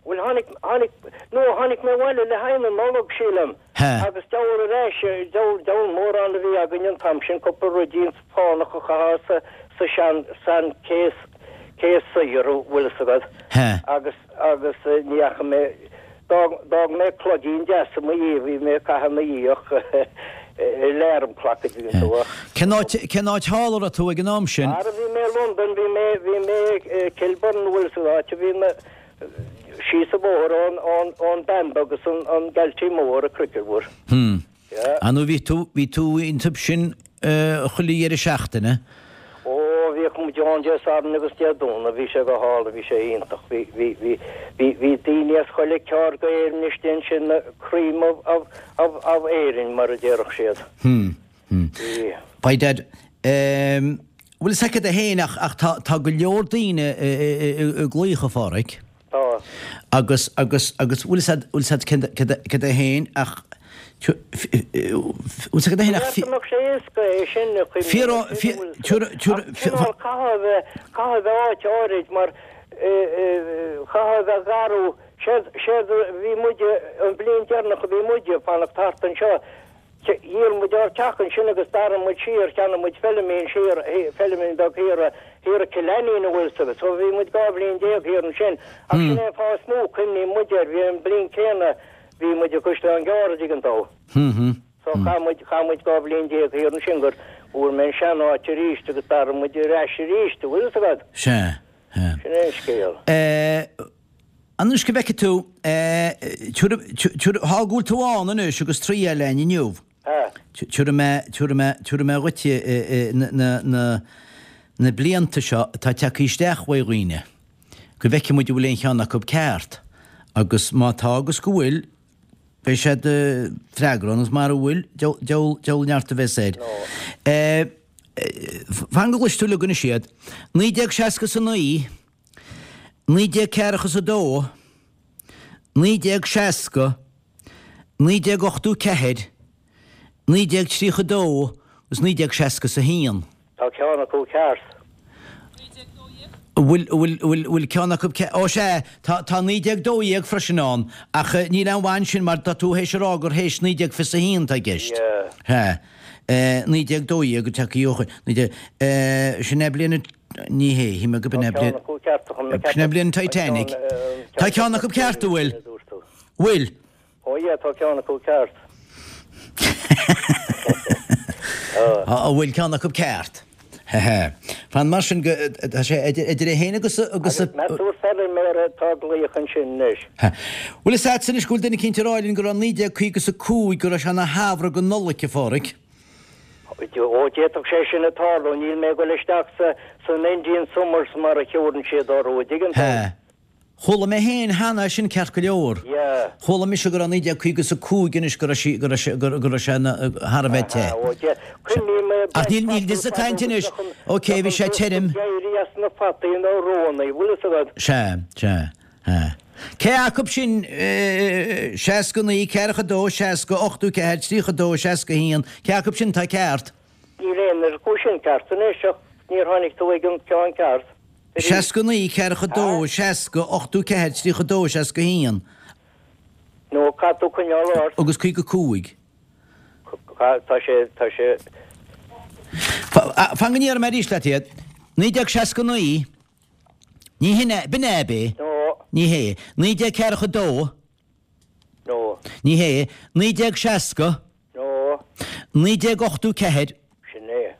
Bhuel tháinig, tháinig, no tháinig mé abhaile le haghaidh na Nollag sílim. He. Agus diabhal ar ais, diabhal, diabhal mórán a bhí againn an t-am sin, cúpla ruidín fánach a chaitheamh sa, sa sean, sean case, case saor, an bhfuil fhios agat. He. Agus, agus ní fhaca mé, d'fhág, d'fhág mé cloigín deas i mo dhiaidh, bhí mé ag caitheamh ina dhiaidh ach alarm clock a dtuigeann tú ach. Cén áit, cén áit thall a raibh tú ag an am sin? Ara bhí mé i Londain, bhí mé, bhí mé i Kilburn, an bhfuil fhios agat, áit a bhí na, síos an bóthar ón, ón, ón Bamber agus an, an Galtee Mór, an cricket mhór. Hmm. Yeah. Ah nó bhí tú, bhí tú iontu sin chuile dheireadh seachtaine? Ó, bhíodh muid ann Dé Sathairn agus Dé Domhnaigh, bhí sé go hálainn, bhí sé iontach, bhí, bhí, bhí, bhí, bhí daoine as chuile ceard d'Éirinn istigh ansin, na cream of, of, of, of Éirinn, mar a déarfadh siad. Hmm, hmm. Bhí. By dad, ehm, bhfuil fhios agat féin ach, ach tá, tá go leor daoine ag glaoch a Phádraig. Tá. Agus, agus, agus bhfuil fhios agat, bhfuil fhios agat céard, céard, céard é féin ach bhfuil fhios agat féin ach Ní mbeadh sé éasca é sin a chuimhneamh Fíor, sin, fíor, bhfuil fhios tiúr, agat. tiúr, Ach cineál caithfidh a bheith, caithfidh a bheith áit áirid mar, caithfidh a bheith garbh, séard, séard a bhí muide, an bhliain deireanach a bhí muide ag fanacht thart anseo, dhíol muid ár teach ansin agus d'fhan muid siar, cheannaigh muid feilmín siar, feilmín beag thiar, thiar i Cill Ainnín an bhfuil fhios agat. So bhí muid dhá bhliain déag thiar ansin. Ach sin é an fáth is mó, cuimhníonn muid air, bhí an bhliain céanna, bhí muid i gCaisleán Gearr an dtuigeann tú. So chaith muid, chaith muid dhá bhliain déag thiar ansin gur bhfuair mé an sean-áit arís agus d'fhan muid ar ais arís, an bhfuil fhios agat. Sea, sea. Sin é an scéal. Eh, Anois go bhfeice tú, tabharfaidh, thá go bhfuil tú ann anois agus trí eile inniu. Tabharfaidh mé, tabharfaidh mé, tabharfaidh mé dhuit na, na, na, na blianta seo atá tagtha isteach uaidh dhaoine. Go bhfeice muid an bhfuil aon cheann acu ceart. Agus má tá agus go bhfuil, beidh siad freagra agus mara bhfuil, diabhal, diabhal neart a bheas air. Fan go gcloisfidh tú uilig anois iad. Naoi déag seasca is a naoi, naoi déag ceathracha is a dó, naoi déag seasca, naoi déag ochtó ceathair, naoi déag tríocha dó agus naoi déag seasca is a haon. Tá ceann acu ceart. An bhfuil, bhfuil, bhfuil, bhfuil ceann acu ceart? Ó sea, tá, tá naoi déag dó dhéag freisin ann, ach níl aon mhaith ansin mar tá tú théis a rá gur théis naoi déag fiche a haon atá i gceist. Yeah. Sea. Naoi déag dó dhéag go dtiocfaidh ó chuid, naoi déag, sin é bliain na, ní hé, shíl mé gurb in é bliain, sin é bliain an Titanic. Tá ceann acu ceart, an bhfuil? Bhfuil? Ó yeah, tá ceann acu ceart. An bhfuil ceann acu ceart? Fan mar sin go, tá sé idir a haon agus agus a. Meas tú feilméara atá ag glaoch ansin anois? Bhuel is ait anois go bhfuil duine eicínt ag rá linn go raibh naoi déag caoga is a cúig go raibh sé ina shamhradh go Nollaig, a Pháraic. Ó d'fhéadfadh sé sin a tarlú, níl mé ag dul isteach sa san Indian Summers mar a thiúrann siad orthu, an dtuigeann tú? Hea. Chuala mé féin cheana é sin ceart go leor. Yeah. Chuala mise go raibh naoi déag caoga is a cúig anois go raibh sí, go raibh sé, go raibh sé ina, thar a bheith te. Aha, ó de, cuimhním mé Ach níl, níl fhios ag caint anois. Ok, bhí sé tirim. Éirí as na fataí nó rónaí, bhfuil fhios agat? Sea, sea, sea. Cé acu sin, seasca naoi, ceathracha dó, seasca, ochtó ceathair, tríocha dó, seasca haon, cé acu sin atá ceart? Níl aon acu sin ceart anois ach níor tháinig tú ag an ceann ceart. Seasca naoi, ceathracha dó, seasca, ochtó ceathair, tríocha dó, seasca haon. Nó caithfidh tú coinneáil ort. Agus caoga cúig. Tá sé, tá sé. Fan go ndéarfaidh mé arís leat iad. Naoi déag seasca naoi, ní hin é, b'in é ab é? No. Ní hé. Naoi déag ceathracha dó. No. Ní hé. Naoi déag seasca. No. Naoi déag ochtó ceathair. Sin é.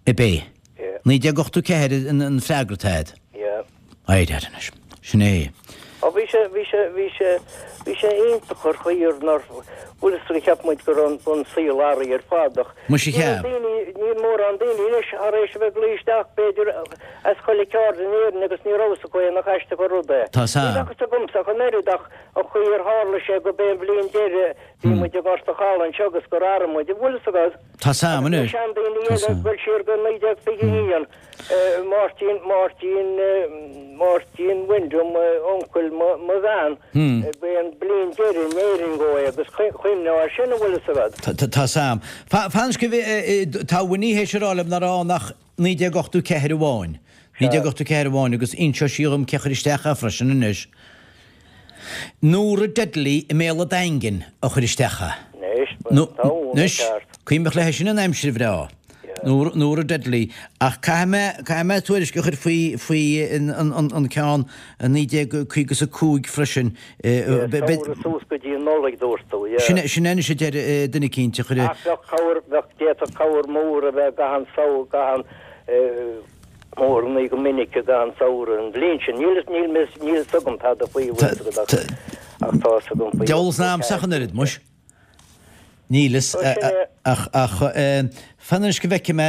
Ab é. Yeah. Naoi déag ochtó ceathair an freagra atá agat. Yeah. Éirigh anois. Sin é. Ó bhí sé, bhí sé, bhí sé, bhí sé iontach ar chaoi ar nár, bhfuil fhios agat cheap muid go raibh an saol athraithe ar fad ach Muise níl cheap. daoine, níl mórán daoine anois thar éis a bheith ag glaoch isteach b'fhéidir as chuile ceard in Éirinn agus ní raibh fhios acu é nach aisteach an rud é. Tá 's Ní a'm. bheadh fhios agamsa ach an oiread ach an chaoi ar tharla sé go b'é an bhliain deiridh bhí muid i nGort a' Chalaidh anseo agus gur athraigh muid, an bhfuil fhios agat? Tá 's a'm Agus na anois. seandaoine Tá eile 's a'm. ag dul siar go naoi déag fiche a haon, Máirtín, Máirtín, Máirtín Wyndham, uncail mo, mo bhean, b'é an bliain deiridh in Éirinn dhó é agus chuimhneofá air sin, an bhfuil fhios agat? Tá, tá, tá 's a'm. Fan anois go bhfi, tá Winnie théis a rá liom nach raibh ann ach naoi déag ochtó ceathair amháin. Naoi déag ochtó ceathair amháin agus inseoidh sí dhom cé chuir isteach é freisin anois. Nóra Dudley i mBéal a' Daingin a chuir isteach é. Anois, tá una Anois, ceart. cuimhneach léi sin an aimsir bhreá. Nóra, Nóra Dudley. Ach caithfidh mé, caithfidh mé tuairisc a chur faoi, faoi an, an, an, an ceann naoi déag caoga is a cúig freisin. Yeah, samhradh suas go dtí an Nollaig dúirt tú, yeah. Sin, sin anois a deir eh, duine eicínt a chuir. Ach bheadh cabhair, bheadh, d'fhéadfadh cabhair mór a bheith gach aon samhradh, gach aon, eh, mór ní go minic i gcaitheamh an tsamhraidh an bhliain sin. Níl níl mé níl fhios agam tada faoi bhfuil fhios agat ach ach tá fhios agam faoi Deabhal 's a'msa ach an oiread, muis. Níl fhios ach ach fan anois go bhfeicfidh mé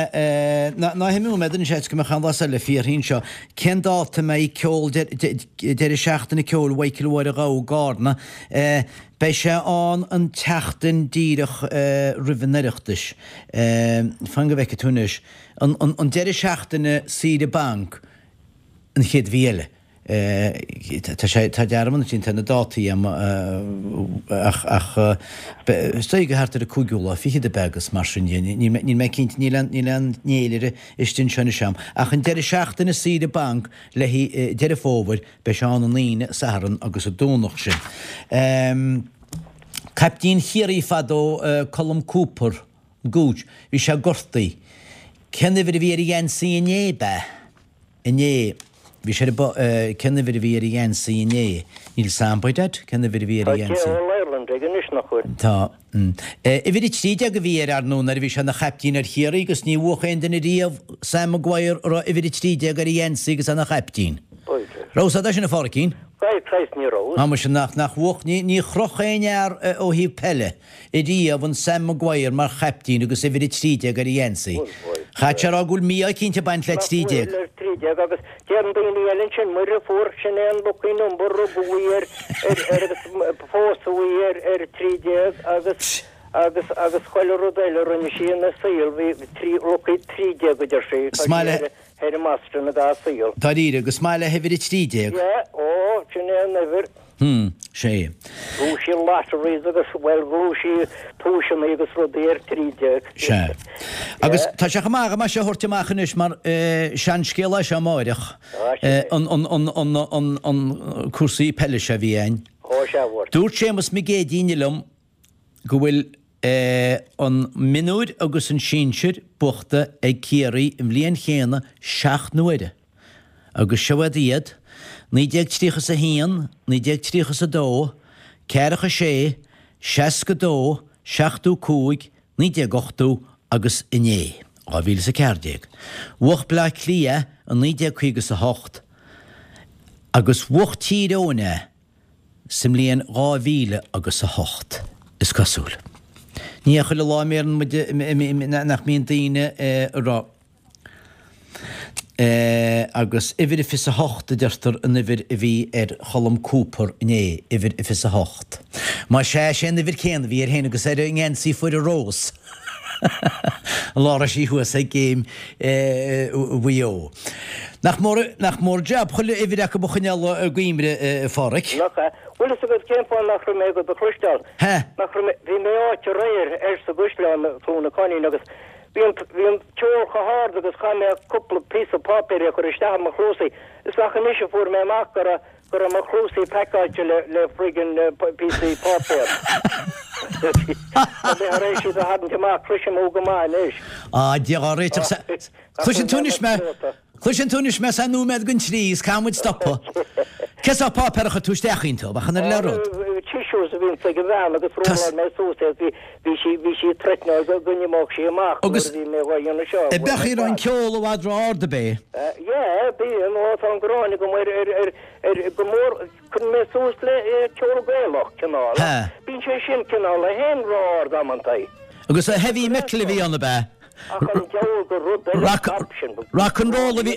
ná ná himeoidh mé don seans go mbeadh an lá eile fiarthaí anseo. Cén dáta a mbeidh ceol deireadh seachtaine ceoil Mhichael Mháire Ghabha i gCarna? Beidh sé ann an tseachtain díreach roimh an Oireachtas. Fan go bhfeicfidh tú anois. An an deireadh seachtaine saoire banc an chéad mhí eile. Tá sé tá dearmad ansin tá na dátaí agam ach ach is dóigh go thart ar an cúigiú lá fichead ab ea agus mar sin de. Níl mé níl mé cinnte níl aon níl aon fhéilire istigh anseo anois agam. Ach an deireadh seachtaine saoire banc le haghaidh Deireadh Fómhair beidh sé ann an Aoine, Satharn agus an Domhnach sin. Caiptín Chiarraí fadó Colm Cooper, Gooch, bhí sé gortaithe. Cén uimhir a bhí ar a gheansaí inné, ab ea? Inné. Bhí sé ar an Cén uimhir a bhí ar a gheansaí inné? Níl 's a'm, by dad, cén uimhir a bhí ar a Tá gheansaí? All Ireland aige anois, nach bhfuil? Tá. Uimhir a trí déag a bhí air, ar ndóigh, nuair a bhí sé ina chaiptín ar Chiarraí agus ní bhuafadh aon duine riamh Sam Maguire a raibh uimhir a trí déag ar a gheansaí agus é ina chaiptín. Raibh 's a'd sin, a Pháraic? By Christ ní raibh. Á muise nach, nach bhuafadh, ní, ní chroch aon fhear ó thaobh peile ariamh an Sam Maguire mar chaiptín agus uimhir a trí déag ar a gheansaí. Chaithfeadh sé a rá go bhfuil mí-ádh eicínt ag baint le trí déag. Nach bhfuil ar trí déag agus deireann daoine eile ansin Muire fuar sin é an lucky number rugadh í ar, ar, ar agus pósadh í ar, ar trí déag agus, agus, agus chuile rud eile a rinne sí ina saol bhí trí, lucky trí déag a deir sí. Is maith le. Headmaster na dá saol. Dáiríre, agus maith le huimhir a trí déag. Yeah, ó, sin é an uimhir. Hmm, sé. Bhuaigh sí lotteries agus, bhuel, bhuaigh sí duaiseanna agus rudaí ar trí déag. Sea. Agus tá sé chomh maith go mbeidh sé a thabhairt amach anois mar seanscéal é seo amáireach, an, an, an, an, an, an cúrsaí peile seo a bhí a'inn. Ó, sea, a Mháirtín. Dúirt Séamus Mac Géidigh liom go bhfuil an mionúir agus an sinsir buachta ag Ciarraí an bhliain chéanna seacht n-uaire agus seo iad, naoi déag tríocha is a haon, naoi déag tríocha is a dó, ceathracha sé, seasca dó, seachtó cúig, naoi déag ochtó agus inné. dhá mhíle is a ceathair déag. Bhuaigh Bleá Cliath i naoi déag caoga is a hocht agus bhuaigh Tír Eoghain é sa mbliain dhá mhíle agus a hocht, is cosúil. Ní hé chuile lá a mbeireann muid, nach mbíonn daoine ag rá. Agus uimhir a fiche a hocht a deirtear an uimhir a bhí ar Cholm Cooper inné, uimhir a fiche a hocht. Más ea, sé an uimhir céanna a bhí air féin agus ar an ngeansaí foirne Rós an lá a raibh sí thuas ag Géim Mhaigh Eo. Nach mór, nach mór jab chuile uimhir acu a choinneáil i gcuimhne, a Pháraic? Nach ea? Bhfuil fhios agat cén fáth nach raibh mé do do chloisteáil? He. Nach raibh mé, bhí mé áit aréir ar sa gCaisleán, Cluain na Coinín agus Bhí an bhí an ceol chomh hard agus chaith mé cúpla píosa páipéir a chur isteach i mo chluasaí. Is ach anois a fuair mé amach go raibh go raibh mo chluasaí pacáilte le le friggin píosaí páipéir. Tá mé thar éis iad a tharraingt amach, cloisim thú go maith anois. Á, Dia dhá réiteach sa Cloiseann tú anois mé Cloiseann tú anois mé sa nóiméad don trí is caithfidh muid stopadh. Cén sórt páipéar a chuir tú isteach iontu? Ach an ar le rud? Tissues a bhíonns ag an bhean agus rolláil mé suas é bhí bhí sí bhí sí threatenáil go go n-imeodh sí amach nuair a bhí mé dhá dhéanamh seo. Agus bíonn an ceol i bhfad ró-ard ab é? Yeah bíonn ó tá an ghráin agam ar ar ar ar go mór cuireann mé suas le ceol Gaelach cineál ach bíonn sé sin cineál a haon ró-ard amantaí. Agus heavy metal a bhí ann ab ea? Ach an diabhal gur rud eile Rock ab sin. rock and roll a bhí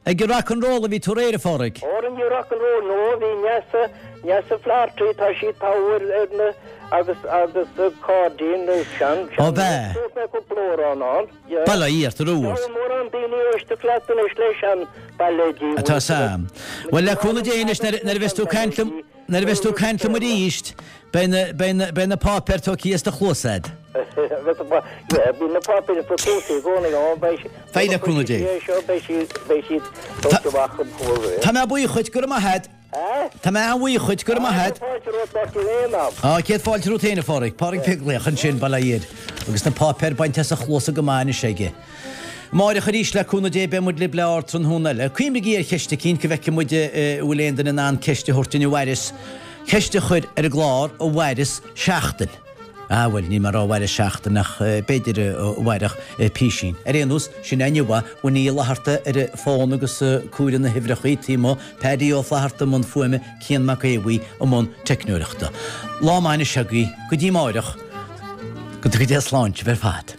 ag an rock and roll a bhí tú aréir, a Phádraig. Óra ní rock and roll nó bhí Neasa Neasa Flaherty tá sí togha ar ar na agus agus Cairdean na sean Ó sean b'ea. Dúirt mé cúpla amhrán ann. Yeah. Bail ó Dhia ort a Rúirt. Tá mórán daoine ag éisteacht leat anois le sean bailéidí Atá Sam. Bhuel le cúnamh Dé anois nuair nuair a bheas tú ag caint liom Nuair a bheas tú ag caint liom arís, beidh na, beidh na, beidh na páipéir tógtha as do chluasa a'd. Bíonn na páipéir sna cluasa i gcónaí ann, beidh sí, Beidh le cúnamh Dé. seo, beidh siad, beidh siad tógtha amach an fuar. Tá mé buíoch dhuit, go raibh maith a'd. Tá mé an-bhuíoch dhuit, go raibh maith a'd. Fáilte romhat, Máirtín, aon am. Á, céad fáilte romhat féin, a Phádraig. Pádraig Beaglaoich ansin, bail ó Dhia air. Agus na páipéir bainte as a chluasa go maith anois aige. Amáireach arís, le cúnamh Dé, beidh muid libh le ardtráthnóna eile. Cuimhnigí ar cheist eicínt go bhfeicfidh muid an bhfuil aon duine in ann ceist a thabhairt duinn a mhaireas ceist a chur ar an gclár a mhaireas seachtain. Ah, bhuel, níl mé ag rá a mhaireas seachtain ach b'fhéidir a mhairfeadh písín. Ar aon nós, sin é inniu é, Winnie Uí Fhlatharta ar an bhfón agus ag comhaireamh na huimhreachaí taobh amuigh, Paddy Ó Flatharta i mbun fuaime, Cian Mac Aodha Bhuí i mbun teicneoireachta. Lá maith anois agaibh, go dtí amáireach, go dtuga Dia sláinte sibh ar fad.